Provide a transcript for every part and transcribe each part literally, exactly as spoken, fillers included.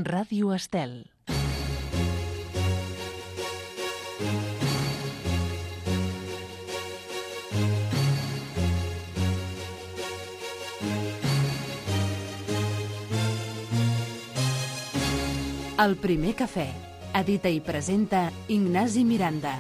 Ràdio Estel. El primer cafè. Edita i presenta Ignasi Miranda.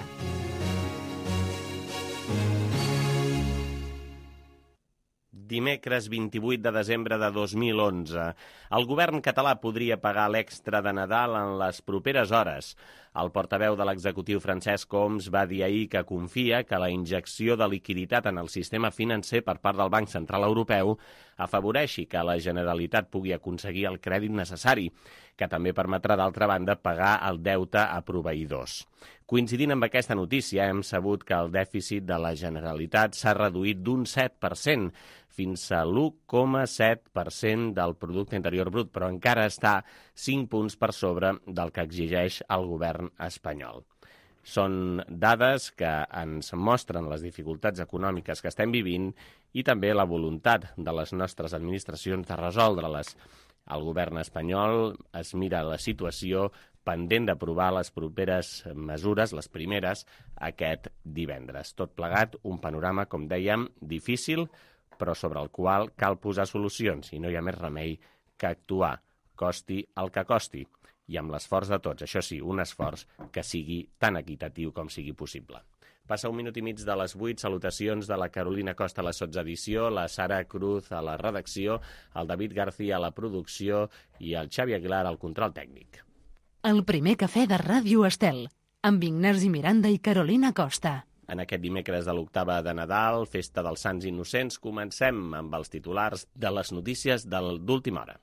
Dimecres vint-i-vuit de desembre de dos mil onze. El govern català podria pagar l'extra de Nadal en les properes hores. El portaveu de l'executiu Francesc Homs va dir ahir que confia que la injecció de liquiditat en el sistema financer per part del Banc Central Europeu afavoreixi que la Generalitat pugui aconseguir el crèdit necessari, que també permetrà, d'altra banda, pagar el deute a proveïdors. Coincidint amb aquesta notícia, hem sabut que el dèficit de la Generalitat s'ha reduït d'un set per cent fins a l'u coma set per cent del producte interior brut, però encara està cinc punts per sobre del que exigeix el govern espanyol. Són dades que ens mostren les dificultats econòmiques que estem vivint i també la voluntat de les nostres administracions de resoldre-les. El govern espanyol es mira la situació pendent d'aprovar les properes mesures, les primeres, aquest divendres. Tot plegat, un panorama, com dèiem, difícil, però sobre el qual cal posar solucions i no hi ha més remei que actuar, costi el que costi, i amb l'esforç de tots, això sí, un esforç que sigui tan equitatiu com sigui possible. Passa un minut i mig de les vuit, salutacions de la Carolina Costa a la sotsedició, la Sara Cruz a la redacció, el David García a la producció i el Xavi Aguilar al control tècnic. El primer cafè de Ràdio Estel, amb Ignasi Miranda i Carolina Costa. En aquest dimecres de l'octava de Nadal, festa dels Sants Innocents, comencem amb els titulars de les notícies d'última hora.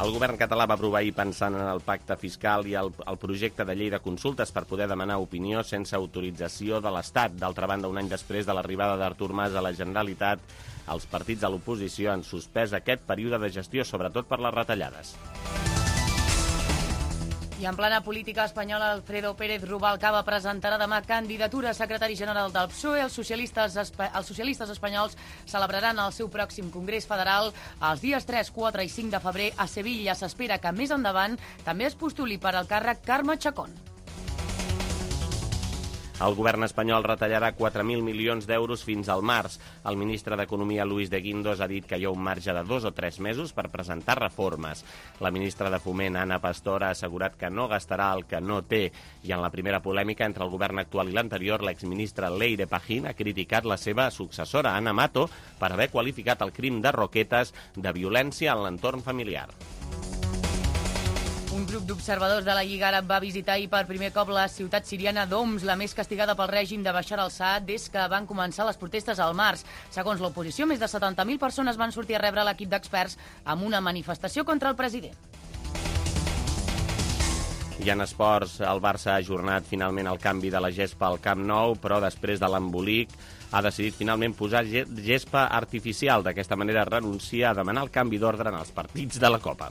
El govern català va aprovar ahir, pensant en el pacte fiscal i el, el projecte de llei de consultes per poder demanar opinió sense autorització de l'Estat. D'altra banda, un any després de l'arribada d'Artur Mas a la Generalitat, els partits de l'oposició han suspès aquest període de gestió, sobretot per les retallades. I en plana política espanyola, Alfredo Pérez Rubalcaba presentarà demà candidatura a secretari general del P S O E. Els socialistes, els socialistes espanyols celebraran el seu pròxim Congrés Federal els dies tres, quatre i cinc de febrer a Sevilla. S'espera que més endavant també es postuli per al càrrec Carme Chacón. El govern espanyol retallarà quatre mil milions d'euros fins al març. El ministre d'Economia, Luis de Guindos, ha dit que hi ha un marge de dos o tres mesos per presentar reformes. La ministra de Foment, Ana Pastor, ha assegurat que no gastarà el que no té. I en la primera polèmica entre el govern actual i l'anterior, l'exministre Leire Pajín ha criticat la seva successora, Ana Mato, per haver qualificat el crim de Roquetes de violència en l'entorn familiar. Un grup d'observadors de la Lliga Àrab va visitar ahir per primer cop la ciutat siriana d'Homs, la més castigada pel règim de Bashar al-Assad des que van començar les protestes al març. Segons l'oposició, més de setanta mil persones van sortir a rebre l'equip d'experts amb una manifestació contra el president. I en esports, el Barça ha ajornat finalment el canvi de la gespa al Camp Nou, però després de l'embolic ha decidit finalment posar gespa artificial. D'aquesta manera renuncia a demanar el canvi d'ordre en els partits de la Copa.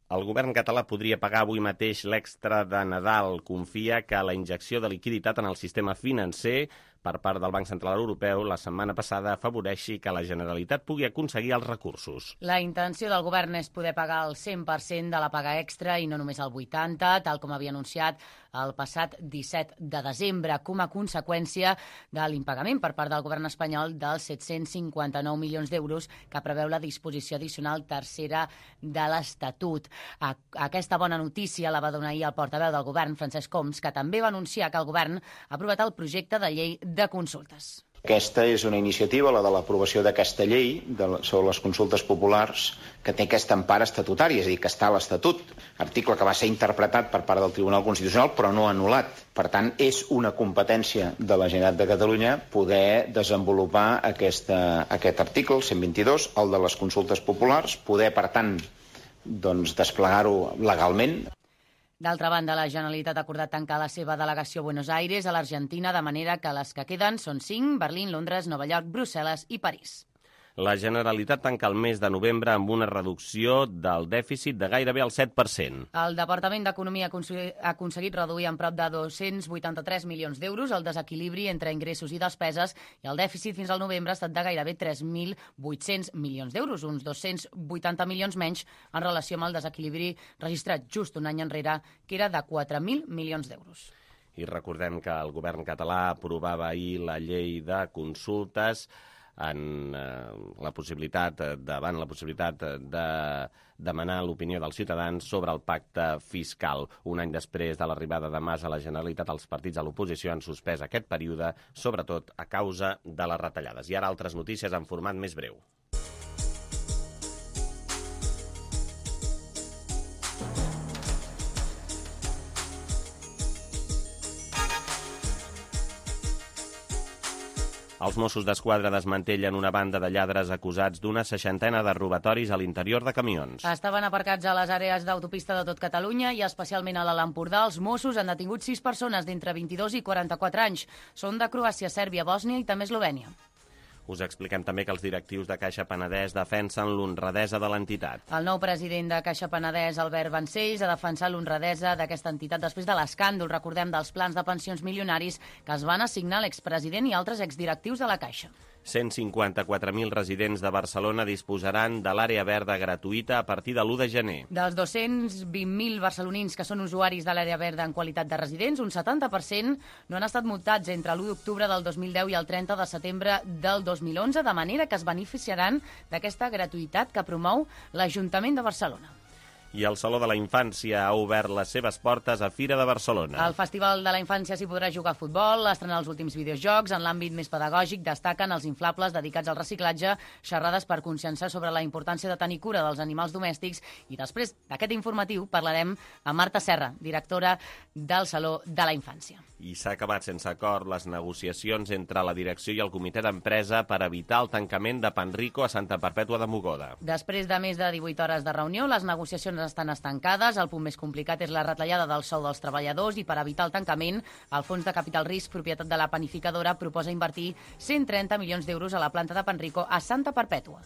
El govern català podria pagar avui mateix l'extra de Nadal. Confia que la injecció de liquiditat en el sistema financer per part del Banc Central Europeu la setmana passada afavoreixi que la Generalitat pugui aconseguir els recursos. La intenció del govern és poder pagar el cent per cent de la paga extra i no només el vuitanta per cent, tal com havia anunciat el passat disset de desembre, com a conseqüència de l'impagament per part del govern espanyol dels set-cents cinquanta-nou milions d'euros que preveu la disposició addicional tercera de l'Estatut. Aquesta bona notícia la va donar ahir el portaveu del govern, Francesc Homs, que també va anunciar que el govern ha aprovat el projecte de llei de consultes. Aquesta és una iniciativa, la de l'aprovació d'aquesta llei de, sobre les consultes populars, que té aquesta empara estatutària, és a dir, que està a l'Estatut, article que va ser interpretat per part del Tribunal Constitucional però no anul·lat. Per tant, és una competència de la Generalitat de Catalunya poder desenvolupar aquesta, aquest article, el cent vint-i-dos, el de les consultes populars, poder, per tant, doncs, desplegar-ho legalment. D'altra banda, la Generalitat ha acordat tancar la seva delegació a Buenos Aires, a l'Argentina, de manera que les que queden són cinc: Berlín, Londres, Nova York, Brussel·les i París. La Generalitat tanca el mes de novembre amb una reducció del dèficit de gairebé el set per cent. El Departament d'Economia ha aconseguit reduir en prop de dos-cents vuitanta-tres milions d'euros el desequilibri entre ingressos i despeses i el dèficit fins al novembre ha estat de gairebé tres mil vuit-cents milions d'euros, uns dos-cents vuitanta milions menys en relació amb el desequilibri registrat just un any enrere, que era de quatre mil milions d'euros. I recordem que el govern català aprovava ahir la llei de consultes en eh, la possibilitat, davant la possibilitat de demanar l'opinió dels ciutadans sobre el pacte fiscal. Un any després de l'arribada de Mas a la Generalitat, els partits de l'oposició han suspès aquest període, sobretot a causa de les retallades. I ara altres notícies en format més breu. Els Mossos d'Esquadra desmantellen una banda de lladres acusats d'una seixantena de robatoris a l'interior de camions. Estaven aparcats a les àrees d'autopista de tot Catalunya i especialment a l'Alt Empordà. Els Mossos han detingut sis persones d'entre vint-i-dos i quaranta-quatre anys. Són de Croàcia, Sèrbia, Bòsnia i també Eslovènia. Us expliquem també que els directius de Caixa Penedès defensen l'honradesa de l'entitat. El nou president de Caixa Penedès, Albert Vancells, ha defensat l'honradesa d'aquesta entitat després de l'escàndol, recordem, dels plans de pensions milionaris que es van assignar a l'expresident i altres exdirectius de la Caixa. cent cinquanta-quatre mil residents de Barcelona disposaran de l'àrea verda gratuïta a partir de l'u de gener. Dels dos-cents vint mil barcelonins que són usuaris de l'àrea verda en qualitat de residents, un setanta per cent no han estat multats entre l'u d'octubre del dos mil deu i el trenta de setembre del dos mil onze, de manera que es beneficiaran d'aquesta gratuïtat que promou l'Ajuntament de Barcelona. I el Saló de la Infància ha obert les seves portes a Fira de Barcelona. Al Festival de la Infància s'hi podrà jugar a futbol, estrenar els últims videojocs. En l'àmbit més pedagògic destaquen els inflables dedicats al reciclatge, xerrades per conscienciar sobre la importància de tenir cura dels animals domèstics. I després d'aquest informatiu parlarem amb Marta Serra, directora del Saló de la Infància. I s'ha acabat sense acord les negociacions entre la direcció i el comitè d'empresa per evitar el tancament de Panrico a Santa Perpètua de Mogoda. Després de més de divuit hores de reunió, les negociacions estan estancades. El punt més complicat és la retallada del sou dels treballadors i per evitar el tancament, el Fons de Capital Risc, propietat de la panificadora, proposa invertir cent trenta milions d'euros a la planta de Panrico a Santa Perpètua.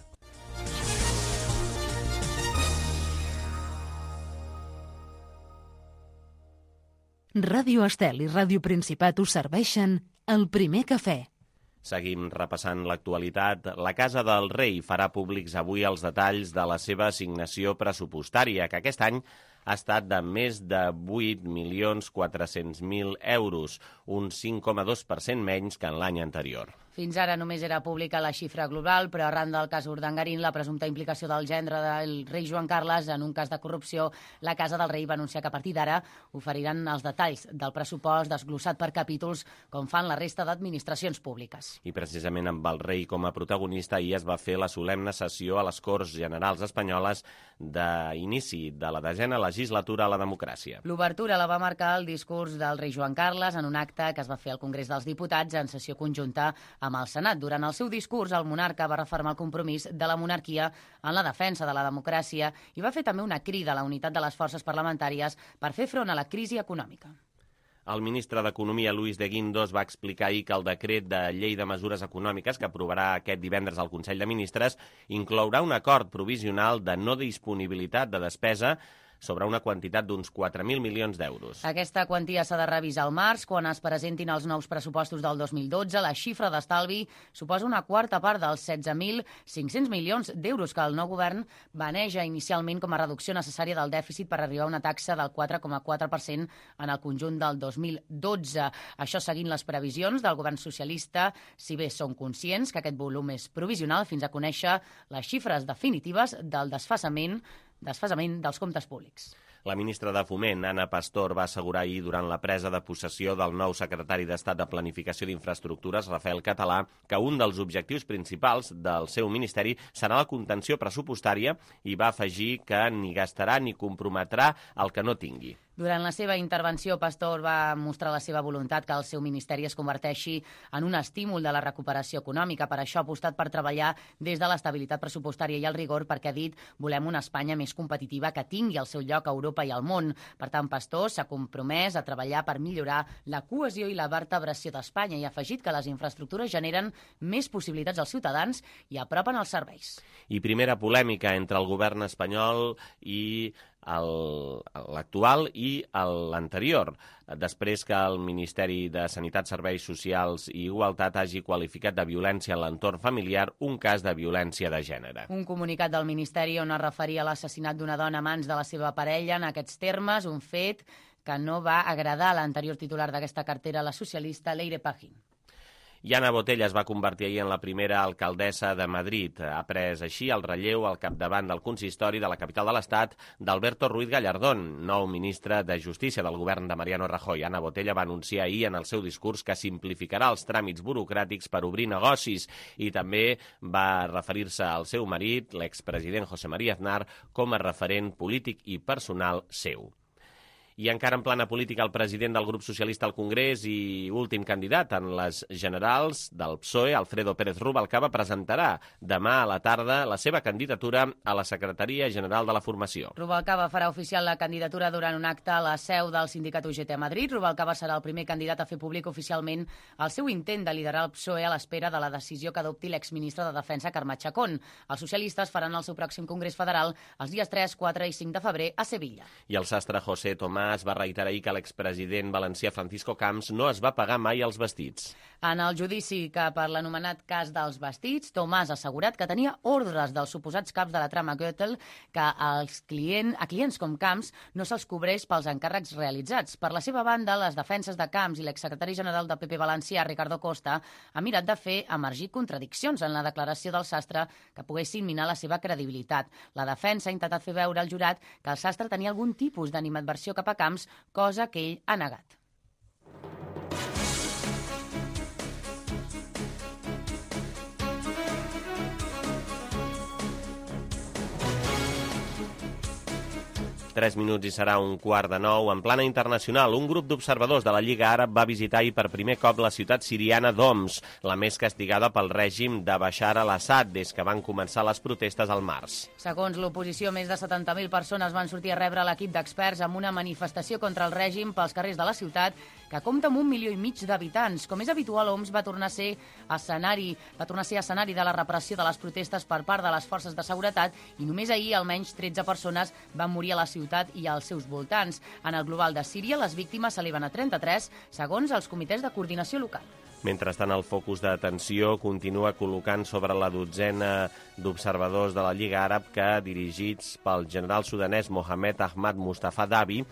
Ràdio Estel i Ràdio Principat us serveixen el primer cafè. Seguim repassant l'actualitat. La Casa del Rei farà públics avui els detalls de la seva assignació pressupostària, que aquest any ha estat de més de vuit milions quatre-cents mil euros, un cinc coma dos per cent menys que en l'any anterior. Fins ara només era pública la xifra global, però arran del cas Urdangarín, la presumpta implicació del gendre del rei Joan Carles en un cas de corrupció, la Casa del Rei va anunciar que a partir d'ara oferiran els detalls del pressupost desglossat per capítols, com fan la resta d'administracions públiques. I precisament amb el rei com a protagonista, ahir es va fer la solemne sessió a les Corts Generals Espanyoles d'inici de la desena legislatura a la democràcia. L'obertura la va marcar el discurs del rei Joan Carles en un acte que es va fer al Congrés dels Diputats en sessió conjunta amb el Senat. Durant el seu discurs, el monarca va refermar el compromís de la monarquia en la defensa de la democràcia i va fer també una crida a la unitat de les forces parlamentàries per fer front a la crisi econòmica. El ministre d'Economia, Luis de Guindos, va explicar ahir que el decret de llei de mesures econòmiques que aprovarà aquest divendres al Consell de Ministres inclourà un acord provisional de no disponibilitat de despesa sobre una quantitat d'uns quatre mil milions d'euros. Aquesta quantia s'ha de revisar al març, quan es presentin els nous pressupostos del dos mil dotze. La xifra d'estalvi suposa una quarta part dels setze mil cinc-cents milions d'euros que el nou govern baneja inicialment com a reducció necessària del dèficit per arribar a una taxa del quatre coma quatre per cent en el conjunt del dos mil dotze. Això seguint les previsions del govern socialista, si bé són conscients que aquest volum és provisional fins a conèixer les xifres definitives del desfasament desfasament dels comptes públics. La ministra de Foment, Ana Pastor, va assegurar ahir durant la presa de possessió del nou secretari d'Estat de Planificació d'Infraestructures, Rafael Català, que un dels objectius principals del seu ministeri serà la contenció pressupostària i va afegir que ni gastarà ni comprometrà el que no tingui. Durant la seva intervenció, Pastor va mostrar la seva voluntat que el seu ministeri es converteixi en un estímul de la recuperació econòmica. Per això ha apostat per treballar des de l'estabilitat pressupostària i el rigor, perquè ha dit volem una Espanya més competitiva que tingui el seu lloc a Europa i al món. Per tant, Pastor s'ha compromès a treballar per millorar la cohesió i la vertebració d'Espanya i ha afegit que les infraestructures generen més possibilitats als ciutadans i apropen els serveis. I primera polèmica entre el govern espanyol i l'actual i l'anterior, després que el Ministeri de Sanitat, Serveis Socials i Igualtat hagi qualificat de violència en l'entorn familiar un cas de violència de gènere. Un comunicat del Ministeri on es referia a l'assassinat d'una dona a mans de la seva parella en aquests termes, un fet que no va agradar a l'anterior titular d'aquesta cartera, la socialista Leire Pajín. I Ana Botella es va convertir ahir en la primera alcaldessa de Madrid. Ha pres així el relleu al capdavant del consistori de la capital de l'Estat d'Alberto Ruiz Gallardón, nou ministre de Justícia del govern de Mariano Rajoy. Ana Botella va anunciar ahir en el seu discurs que simplificarà els tràmits burocràtics per obrir negocis i també va referir-se al seu marit, l'expresident José María Aznar, com a referent polític i personal seu. I encara en plana política, el president del grup socialista al Congrés i últim candidat en les generals del P S O E, Alfredo Pérez Rubalcaba, presentarà demà a la tarda la seva candidatura a la Secretaria General de la Formació. Rubalcaba farà oficial la candidatura durant un acte a la seu del sindicat U G T a Madrid. Rubalcaba serà el primer candidat a fer públic oficialment el seu intent de liderar el P S O E a l'espera de la decisió que adopti l'exministre de Defensa, Carme Chacón. Els socialistes faran el seu pròxim Congrés Federal els dies tres, quatre i cinc de febrer a Sevilla. I el sastre José Tomàs va reiterar ahir que l'expresident valencià Francisco Camps no es va pagar mai els vestits. En el judici que per l'anomenat cas dels vestits, Tomàs ha assegurat que tenia ordres dels suposats caps de la trama Gürtel que als client, a clients com Camps no se'ls cobreix pels encàrrecs realitzats. Per la seva banda, les defenses de Camps i l'exsecretari general del P P valencià, Ricardo Costa, ha mirat de fer emergir contradiccions en la declaració del sastre que poguessin minar la seva credibilitat. La defensa ha intentat fer veure al jurat que el sastre tenia algun tipus d'animadversió cap a Camps, cosa que ell ha negat. Tres minuts i serà un quart de nou. En plana internacional, un grup d'observadors de la Lliga Àrab va visitar ahir per primer cop la ciutat siriana d'Homs, la més castigada pel règim de Bashar al-Assad des que van començar les protestes al març. Segons l'oposició, més de setanta mil persones van sortir a rebre l'equip d'experts amb una manifestació contra el règim pels carrers de la ciutat, que compta amb un milió i mig d'habitants. Com és habitual, Homs va tornar a ser escenari, va tornar a ser escenari de la repressió de les protestes per part de les forces de seguretat i només ahir almenys tretze persones van morir a la ciutat i als seus voltants. En el global de Síria, les víctimes s'eleven a trenta-tres, segons els comitès de coordinació local. Mentrestant, el focus d'atenció continua col·locant sobre la dotzena d'observadors de la Lliga Àrab que, dirigits pel general sudanès Mohamed Ahmad Mustafa Dabi,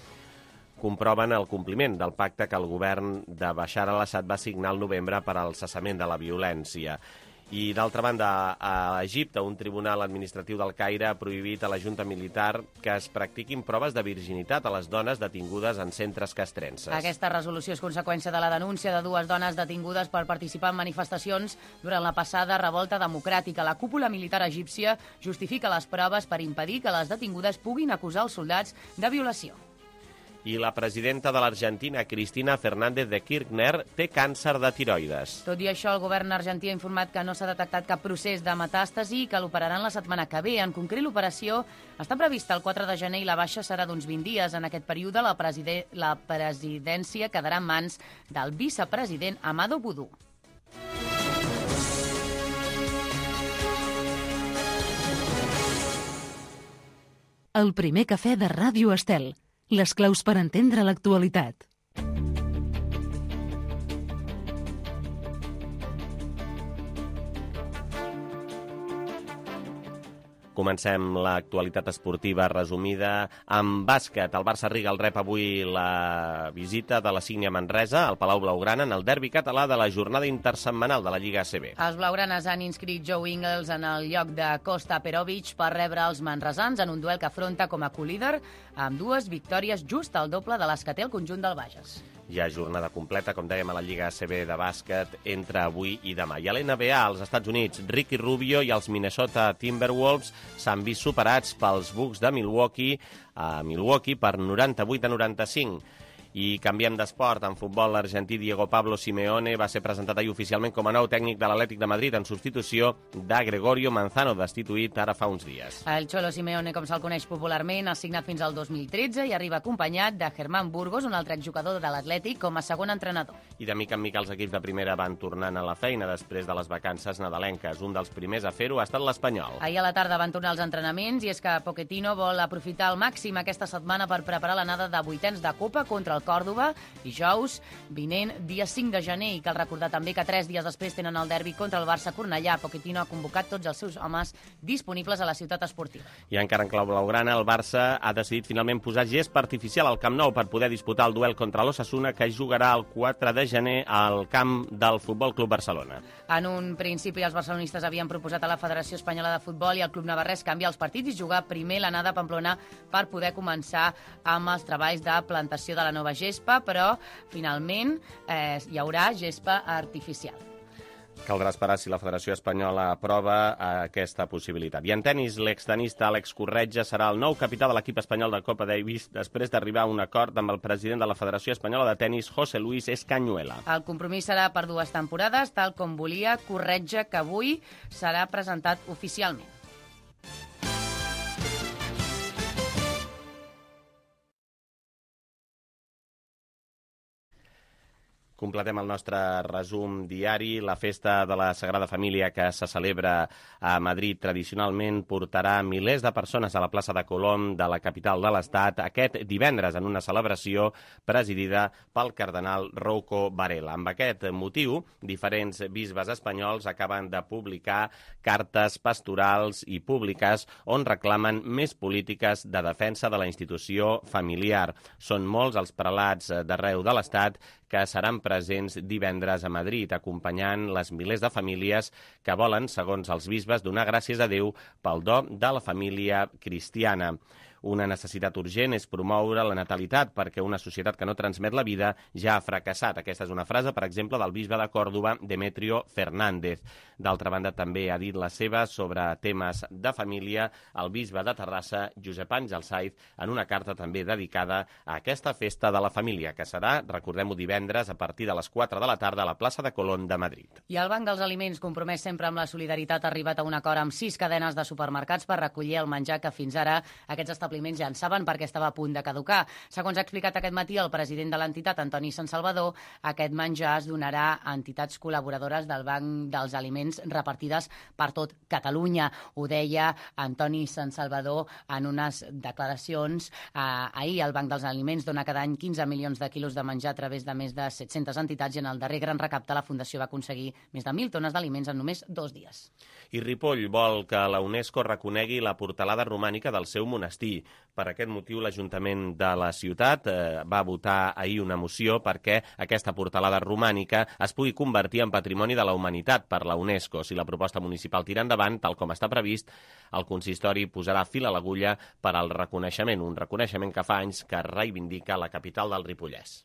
comproven el compliment del pacte que el govern de Bashar al-Assad va signar al novembre per al cessament de la violència. I, d'altra banda, a Egipte, un tribunal administratiu del Caire ha prohibit a la Junta Militar que es practiquin proves de virginitat a les dones detingudes en centres castrenses. Aquesta resolució és conseqüència de la denúncia de dues dones detingudes per participar en manifestacions durant la passada revolta democràtica. La cúpula militar egípcia justifica les proves per impedir que les detingudes puguin acusar els soldats de violació. I la presidenta de l'Argentina, Cristina Fernández de Kirchner, té càncer de tiroides. Tot i això, el govern argentí ha informat que no s'ha detectat cap procés de metàstasi i que l'operaran la setmana que ve. En concret, l'operació està prevista el quatre de gener i la baixa serà d'uns vint dies. En aquest període, la, preside... la presidència quedarà en mans del vicepresident Amado Boudou. El primer cafè de Ràdio Estel. Les claus per entendre l'actualitat. Comencem l'actualitat esportiva resumida amb bàsquet. El Barça Riga el rep avui la visita de la Sígnia Manresa al Palau Blaugrana en el derbi català de la jornada intersetmanal de la Lliga A C B. Els blaugranes han inscrit Joe Ingles en el lloc de Kosta Perovic per rebre els manresans en un duel que afronta com a co-líder amb dues victòries just al doble de les que té el conjunt del Bages. Hi ha jornada completa, com dèiem, a la Lliga A C B de bàsquet entre avui i demà. I a l'N B A, als Estats Units, Ricky Rubio i els Minnesota Timberwolves s'han vist superats pels Bucks de Milwaukee a Milwaukee per noranta-vuit a noranta-cinc. I canviem d'esport. En futbol, l'argentí Diego Pablo Simeone va ser presentat ahir oficialment com a nou tècnic de l'Atlètic de Madrid en substitució de Gregorio Manzano, destituït ara fa uns dies. El Cholo Simeone, com se'l coneix popularment, ha signat fins al dos mil tretze i arriba acompanyat de Germán Burgos, un altre exjugador de l'Atlètic, com a segon entrenador. I de mica en mica els equips de primera van tornant a la feina després de les vacances nadalenques. Un dels primers a fer-ho ha estat l'Espanyol. Ahir a la tarda van tornar els entrenaments i és que Pochettino vol aprofitar al màxim aquesta setmana per preparar l'anada de vuitens de Copa contra el Còrdova, dijous vinent, dia cinc de gener, i cal recordar també que tres dies després tenen el derbi contra el Barça Cornellà. Pochettino ha convocat tots els seus homes disponibles a la ciutat esportiva. I encara en clau blaugrana, el Barça ha decidit finalment posar gespa artificial al Camp Nou per poder disputar el duel contra l'Osasuna, que jugarà el quatre de gener al camp del Futbol Club Barcelona. En un principi, els barcelonistes havien proposat a la Federació Espanyola de Futbol i al Club Navarrès canviar els partits i jugar primer l'anada a Pamplona per poder començar amb els treballs de plantació de la nova gespa, però finalment eh, hi haurà gespa artificial. Caldrà esperar si la Federació Espanyola aprova aquesta possibilitat. I en tenis, l'extenista Àlex Corretja serà el nou capità de l'equip espanyol de Copa Davis després d'arribar a un acord amb el president de la Federació Espanyola de Tenis, José Luis Escañuela. El compromís serà per dues temporades, tal com volia Corretja, que avui serà presentat oficialment. Completem el nostre resum diari. La festa de la Sagrada Família que se celebra a Madrid tradicionalment portarà milers de persones a la plaça de Colom de la capital de l'Estat aquest divendres en una celebració presidida pel cardenal Rouco Varela. Amb aquest motiu, diferents bisbes espanyols acaben de publicar cartes pastorals i públiques on reclamen més polítiques de defensa de la institució familiar. Són molts els prelats d'arreu de l'Estat que seran presents divendres a Madrid, acompanyant les milers de famílies que volen, segons els bisbes, donar gràcies a Déu pel do de la família cristiana. Una necessitat urgent és promoure la natalitat perquè una societat que no transmet la vida ja ha fracassat. Aquesta és una frase, per exemple, del bisbe de Còrdova, Demetrio Fernández. D'altra banda, també ha dit la seva sobre temes de família el bisbe de Terrassa, Josep Àngel Saiz, en una carta també dedicada a aquesta festa de la família, que serà, recordem-ho, divendres a partir de les quatre de la tarda a la plaça de Colón de Madrid. I el Banc dels Aliments, compromès sempre amb la solidaritat, ha arribat a un acord amb sis cadenes de supermercats per recollir el menjar que fins ara aquests establiments ja en saben perquè estava a punt de caducar. Segons ha explicat aquest matí el president de l'entitat, Antoni Sant Salvador, aquest menjar es donarà a entitats col·laboradores del Banc dels Aliments repartides per tot Catalunya. Ho deia Antoni Sant Salvador en unes declaracions. Eh, ahir el Banc dels Aliments dona cada any quinze milions de quilos de menjar a través de més de set-centes entitats i en el darrer gran recapte la Fundació va aconseguir més de mil tones d'aliments en només dos dies. I Ripoll vol que la UNESCO reconegui la portalada romànica del seu monestir. Per aquest motiu, l'Ajuntament de la ciutat eh, va votar ahir una moció perquè aquesta portalada romànica es pugui convertir en Patrimoni de la Humanitat per la UNESCO. Si la proposta municipal tira endavant, tal com està previst, el consistori posarà fil a l'agulla per al reconeixement, un reconeixement que fa anys que reivindica la capital del Ripollès.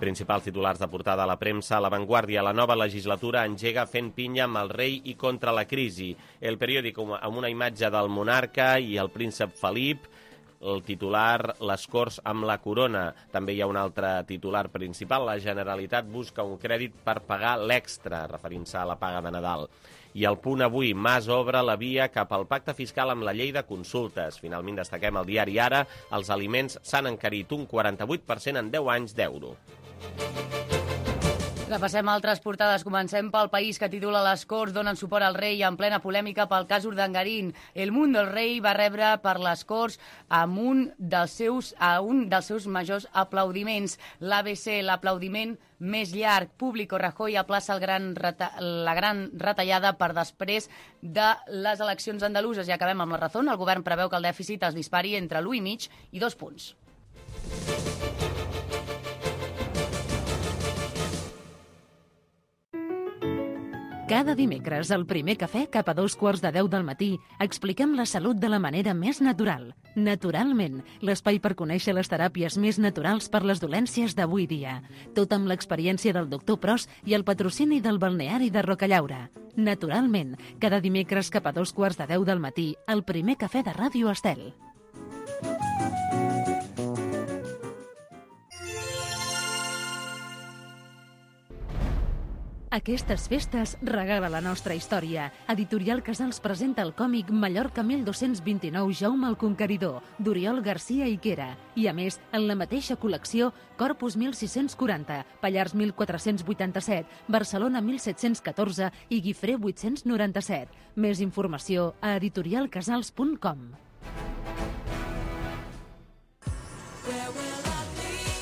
Principals titulars de portada a la premsa. A La Vanguardia, la nova legislatura engega fent pinya amb el rei i contra la crisi. El periòdic amb una imatge del monarca i el príncep Felip. El titular, les Corts amb la corona. També hi ha un altre titular principal. La Generalitat busca un crèdit per pagar l'extra, referint-se a la paga de Nadal. I al Punt avui, Mas obre la via cap al pacte fiscal amb la llei de consultes. Finalment destaquem el diari Ara. Els aliments s'han encarit un quaranta-vuit per cent en deu anys d'euro. Repassem altres portades. Comencem pel País, que titula Les Corts donen suport al rei en plena polèmica pel cas Urdangarín. El Mundo, el rei va rebre per les Corts amb un dels seus, a un dels seus majors aplaudiments. L'A B C, l'aplaudiment més llarg. Público, Rajoy aplaça el gran reta, la gran retallada per després de les eleccions andaluses. I acabem amb La Razón. El govern preveu que el dèficit es dispari entre l'u i mig i dos punts. Cada dimecres, al primer cafè, cap a dos quarts de deu del matí, expliquem la salut de la manera més natural. Naturalment, l'espai per conèixer les teràpies més naturals per les dolències d'avui dia. Tot amb l'experiència del doctor Pros i el patrocini del balneari de Rocallaura. Naturalment, cada dimecres cap a dos quarts de deu del matí, al primer cafè de Ràdio Estel. Aquestes festes regala la nostra història. Editorial Casals presenta el còmic Mallorca mil dos-cents vint-i-nou Jaume el Conqueridor, d'Oriol Garcia Iquera. I a més, en la mateixa col·lecció, Corpus mil sis-cents quaranta, Pallars mil quatre-cents vuitanta-set, Barcelona mil set-cents catorze i Guifré vuit-cents noranta-set. Més informació a editorial casals punt com.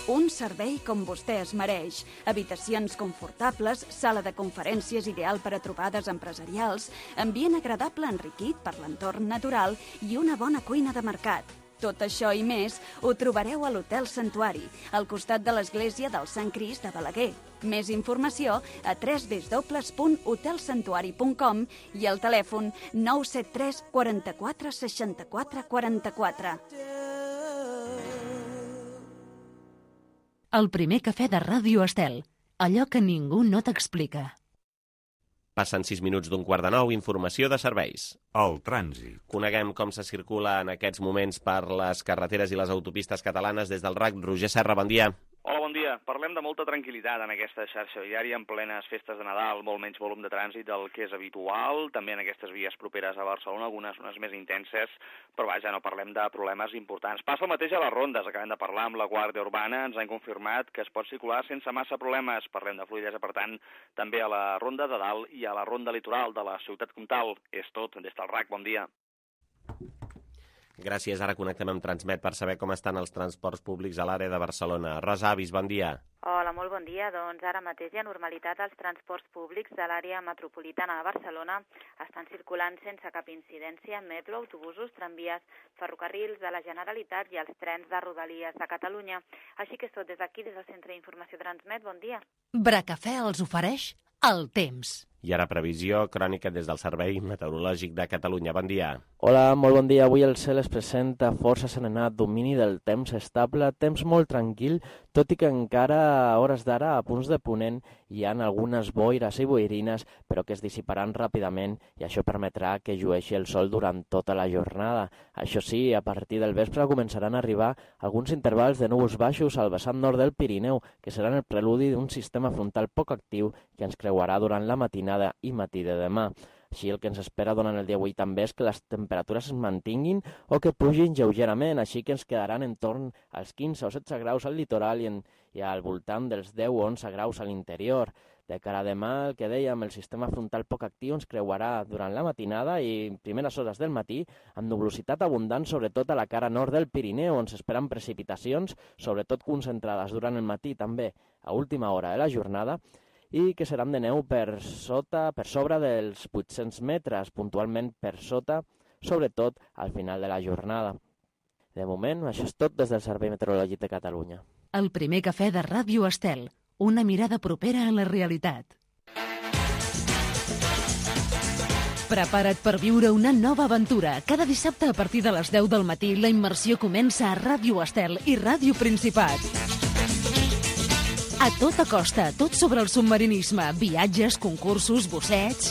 Un servei com vostè es mereix. Habitacions confortables, sala de conferències ideal per a trobades empresarials, ambient agradable enriquit per l'entorn natural i una bona cuina de mercat. Tot això i més ho trobareu a l'Hotel Santuari, al costat de l'església del Sant Crist de Balaguer. Més informació a w w w punt hotel santuari punt com i al telèfon nou set tres quaranta-quatre seixanta-quatre quaranta-quatre. El primer cafè de Ràdio Estel. Allò que ningú no t'explica. Passen sis minuts d'un quart de nou, informació de serveis. El trànsit. Coneguem com se circula en aquests moments per les carreteres i les autopistes catalanes des del R A C. Roger Serra, bon dia. Hola, bon dia. Parlem de molta tranquil·litat en aquesta xarxa viària en plenes festes de Nadal, molt menys volum de trànsit del que és habitual, també en aquestes vies properes a Barcelona, algunes unes més intenses, però vaja, no parlem de problemes importants. Passa el mateix a les rondes, acabem de parlar amb la Guàrdia Urbana, ens han confirmat que es pot circular sense massa problemes, parlem de fluïdesa, per tant, també a la ronda de dalt i a la ronda litoral de la ciutat comtal. És tot, des del R A C, bon dia. Gràcies, ara connectem amb Transmet per saber com estan els transports públics a l'àrea de Barcelona. Rosa Avis, bon dia. Hola, molt bon dia. Doncs ara mateix hi ha normalitat als transports públics de l'àrea metropolitana de Barcelona. Estan circulant sense cap incidència metro, autobusos, tramvies, ferrocarrils de la Generalitat i els trens de Rodalies de Catalunya. Així que és tot des d'aquí, des del Centre d'Informació Transmet. Bon dia. Bracafè els ofereix el temps. I ara previsió crònica des del Servei Meteorològic de Catalunya. Bon dia. Hola, molt bon dia. Avui el cel es presenta força serenat, domini del temps estable, temps molt tranquil, tot i que encara a hores d'ara, a punts de ponent, hi ha algunes boires i boirines, però que es dissiparan ràpidament i això permetrà que llueixi el sol durant tota la jornada. Això sí, a partir del vespre començaran a arribar alguns intervals de núvols baixos al vessant nord del Pirineu, que seran el preludi d'un sistema frontal poc actiu que ens creuarà durant la matinada i matí de demà. Així el que ens espera durant el dia d'avui també és que les temperatures es mantinguin o que pugin lleugerament, així que ens quedaran en torn als quinze o setze graus al litoral i, en, i al voltant dels deu o onze graus a l'interior. De cara a demà, el que dèiem, el sistema frontal poc actiu ens creuarà durant la matinada i primeres hores del matí amb nuvolositat abundant, sobretot a la cara nord del Pirineu, on s'esperen precipitacions, sobretot concentrades durant el matí també a última hora de la jornada, i que seran de neu per sota, per sobre dels vuit-cents metres, puntualment per sota, sobretot al final de la jornada. De moment, això és tot des del Servei Meteorològic de Catalunya. El primer cafè de Ràdio Estel, una mirada propera a la realitat. Prepara't per viure una nova aventura. Cada dissabte a partir de les deu del matí la immersió comença a Ràdio Estel i Ràdio Principat. A tota costa, tot sobre el submarinisme, viatges, concursos, bussets...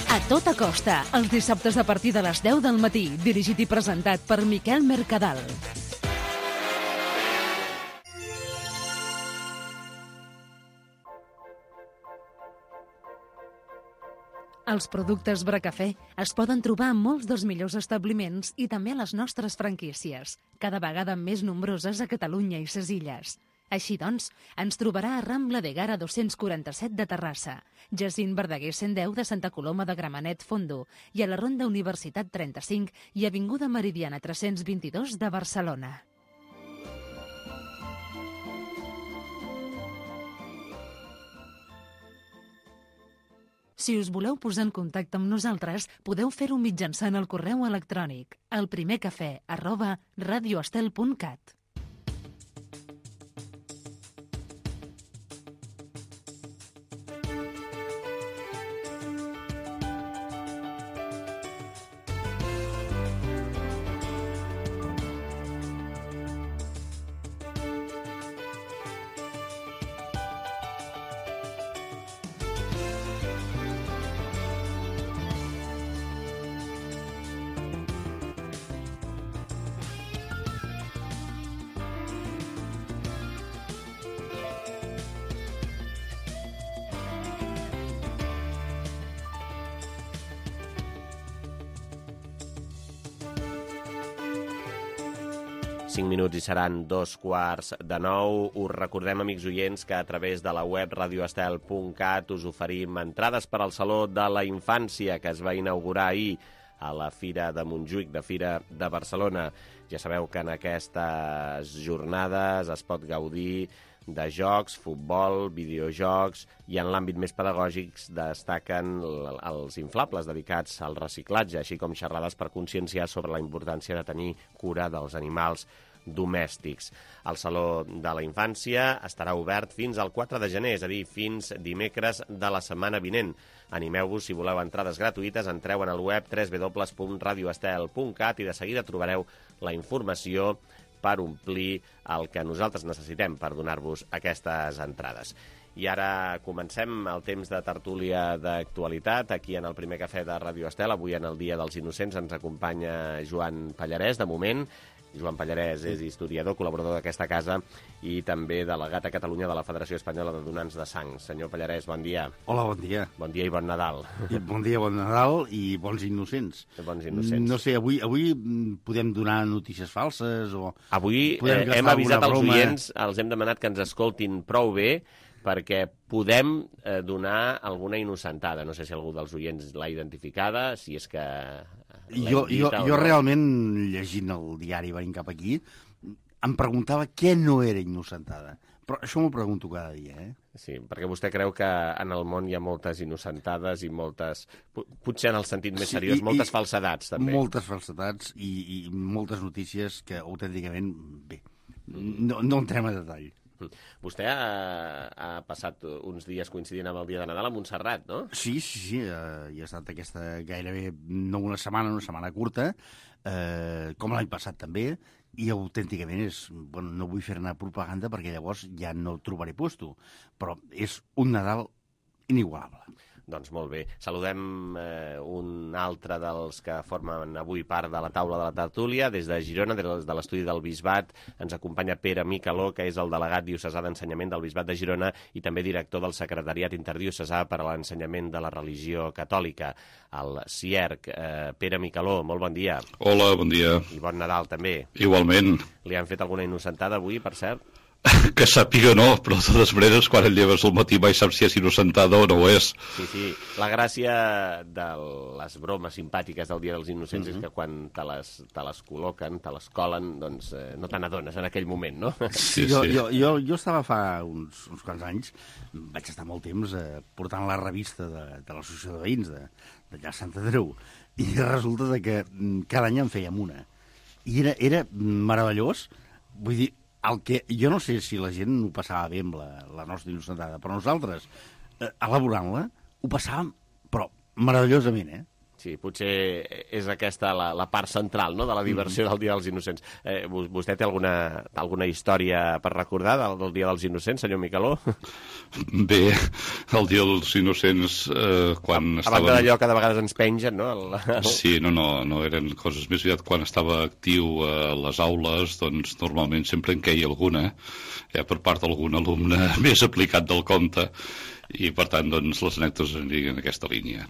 A tota costa, els dissabtes a partir de les deu del matí, dirigit i presentat per Miquel Mercadal. Els productes Bracafè es poden trobar en molts dels millors establiments i també a les nostres franquícies, cada vegada més nombroses a Catalunya i ses Illes. Així doncs, ens trobarà a Rambla de Gara dos-cents quaranta-set de Terrassa, Jacint Verdaguer cent deu de Santa Coloma de Gramenet Fondo i a la Ronda Universitat trenta-cinc i Avinguda Meridiana tres-cents vint-i-dos de Barcelona. Si us voleu posar en contacte amb nosaltres, podeu fer-ho mitjançant el correu electrònic elprimercafè arroba radioestel punt cat. cinc minuts i seran dos quarts de nou. Us recordem, amics oients, que a través de la web radioestel punt cat us oferim entrades per al Saló de la Infància, que es va inaugurar ahir a la Fira de Montjuïc, de Fira de Barcelona. Ja sabeu que en aquestes jornades es pot gaudir de jocs, futbol, videojocs, i en l'àmbit més pedagògic destaquen els inflables dedicats al reciclatge, així com xerrades per conscienciar sobre la importància de tenir cura dels animals domèstics. El Saló de la Infància estarà obert fins al quatre de gener, és a dir, fins dimecres de la setmana vinent. Animeu-vos, si voleu entrades gratuïtes, entreu en el web w w w punt radioestel punt cat i de seguida trobareu la informació per omplir el que nosaltres necessitem per donar-vos aquestes entrades. I ara comencem el temps de tertúlia d'actualitat aquí en el primer cafè de Radio Estel. Avui, en el Dia dels Innocents, ens acompanya Joan Pallarès, de moment. Joan Pallarès és historiador, col·laborador d'aquesta casa i també delegat a Catalunya de la Federació Espanyola de Donants de Sang. Senyor Pallarès, bon dia. Hola, bon dia. Bon dia i bon Nadal. I bon dia, bon Nadal i bons innocents. Bons innocents. No sé, avui, avui podem donar notícies falses o... Avui eh, hem avisat als oients, els hem demanat que ens escoltin prou bé, perquè podem eh, donar alguna innocentada. No sé si algú dels oients l'ha identificada, si és que... Jo, jo, jo no? realment, llegint el diari venint cap aquí, em preguntava què no era innocentada. Però això m'ho pregunto cada dia, eh? Sí, perquè vostè creu que en el món hi ha moltes innocentades i moltes, potser en el sentit més seriós, sí, i, moltes falsedats, també. Moltes falsedats i, i moltes notícies que, autènticament, bé, no, no entrem a detall. Vostè ha, ha passat uns dies coincidint amb el dia de Nadal a Montserrat, no? Sí, sí, sí. Uh, hi ha estat aquesta gairebé, no una setmana, una setmana curta, uh, com l'any passat també, i autènticament és... Bueno, no vull fer-ne propaganda perquè llavors ja no trobaré puesto, però és un Nadal inigualable. Doncs molt bé. Saludem eh, un altre dels que formen avui part de la taula de la tertúlia. Des de Girona, des de l'estudi del Bisbat, ens acompanya Pere Micaló, que és el delegat diocesà d'ensenyament del Bisbat de Girona i també director del Secretariat Interdiocesà per a l'Ensenyament de la Religió Catòlica, el C I E R C. Eh, Pere Micaló, molt bon dia. Hola, bon dia. I bon Nadal, també. Igualment. Li han fet alguna innocentada avui, per cert? Que sàpiga no, però de totes maneres, quan et lleves al matí mai saps si és innocentada o no ho és. Sí, sí. La gràcia de les bromes simpàtiques del Dia dels Innocents mm-hmm. és que quan te les, te les col·loquen, te les colen, doncs eh, no te n'adones en aquell moment, no? Sí, jo, sí. Jo, jo, jo estava fa uns, uns quants anys, vaig estar molt temps eh, portant la revista de, de l'Associació de Veïns de, d'allà a Sant Andreu, i resulta de que cada any en fèiem una. I era, era meravellós, vull dir, el que, jo no sé si la gent ho passava bé amb la, la nostra innocentada, però nosaltres, eh, elaborant-la, ho passàvem, però meravellosament, eh? Sí, potser és aquesta la, la part central, no?, de la diversió del Dia dels Innocents. Eh, vostè té alguna, alguna història per recordar del, del Dia dels Innocents, senyor Micaló? Bé, el Dia dels Innocents, eh, quan a, estàvem... A banda d'allò que de vegades ens pengen, no? El, el... Sí, no, no, no eren coses més aviat. Quan estava actiu a les aules, doncs normalment sempre en queia alguna, eh, per part d'algun alumne més aplicat del compte, i per tant, doncs, les anècdotes anirien en aquesta línia.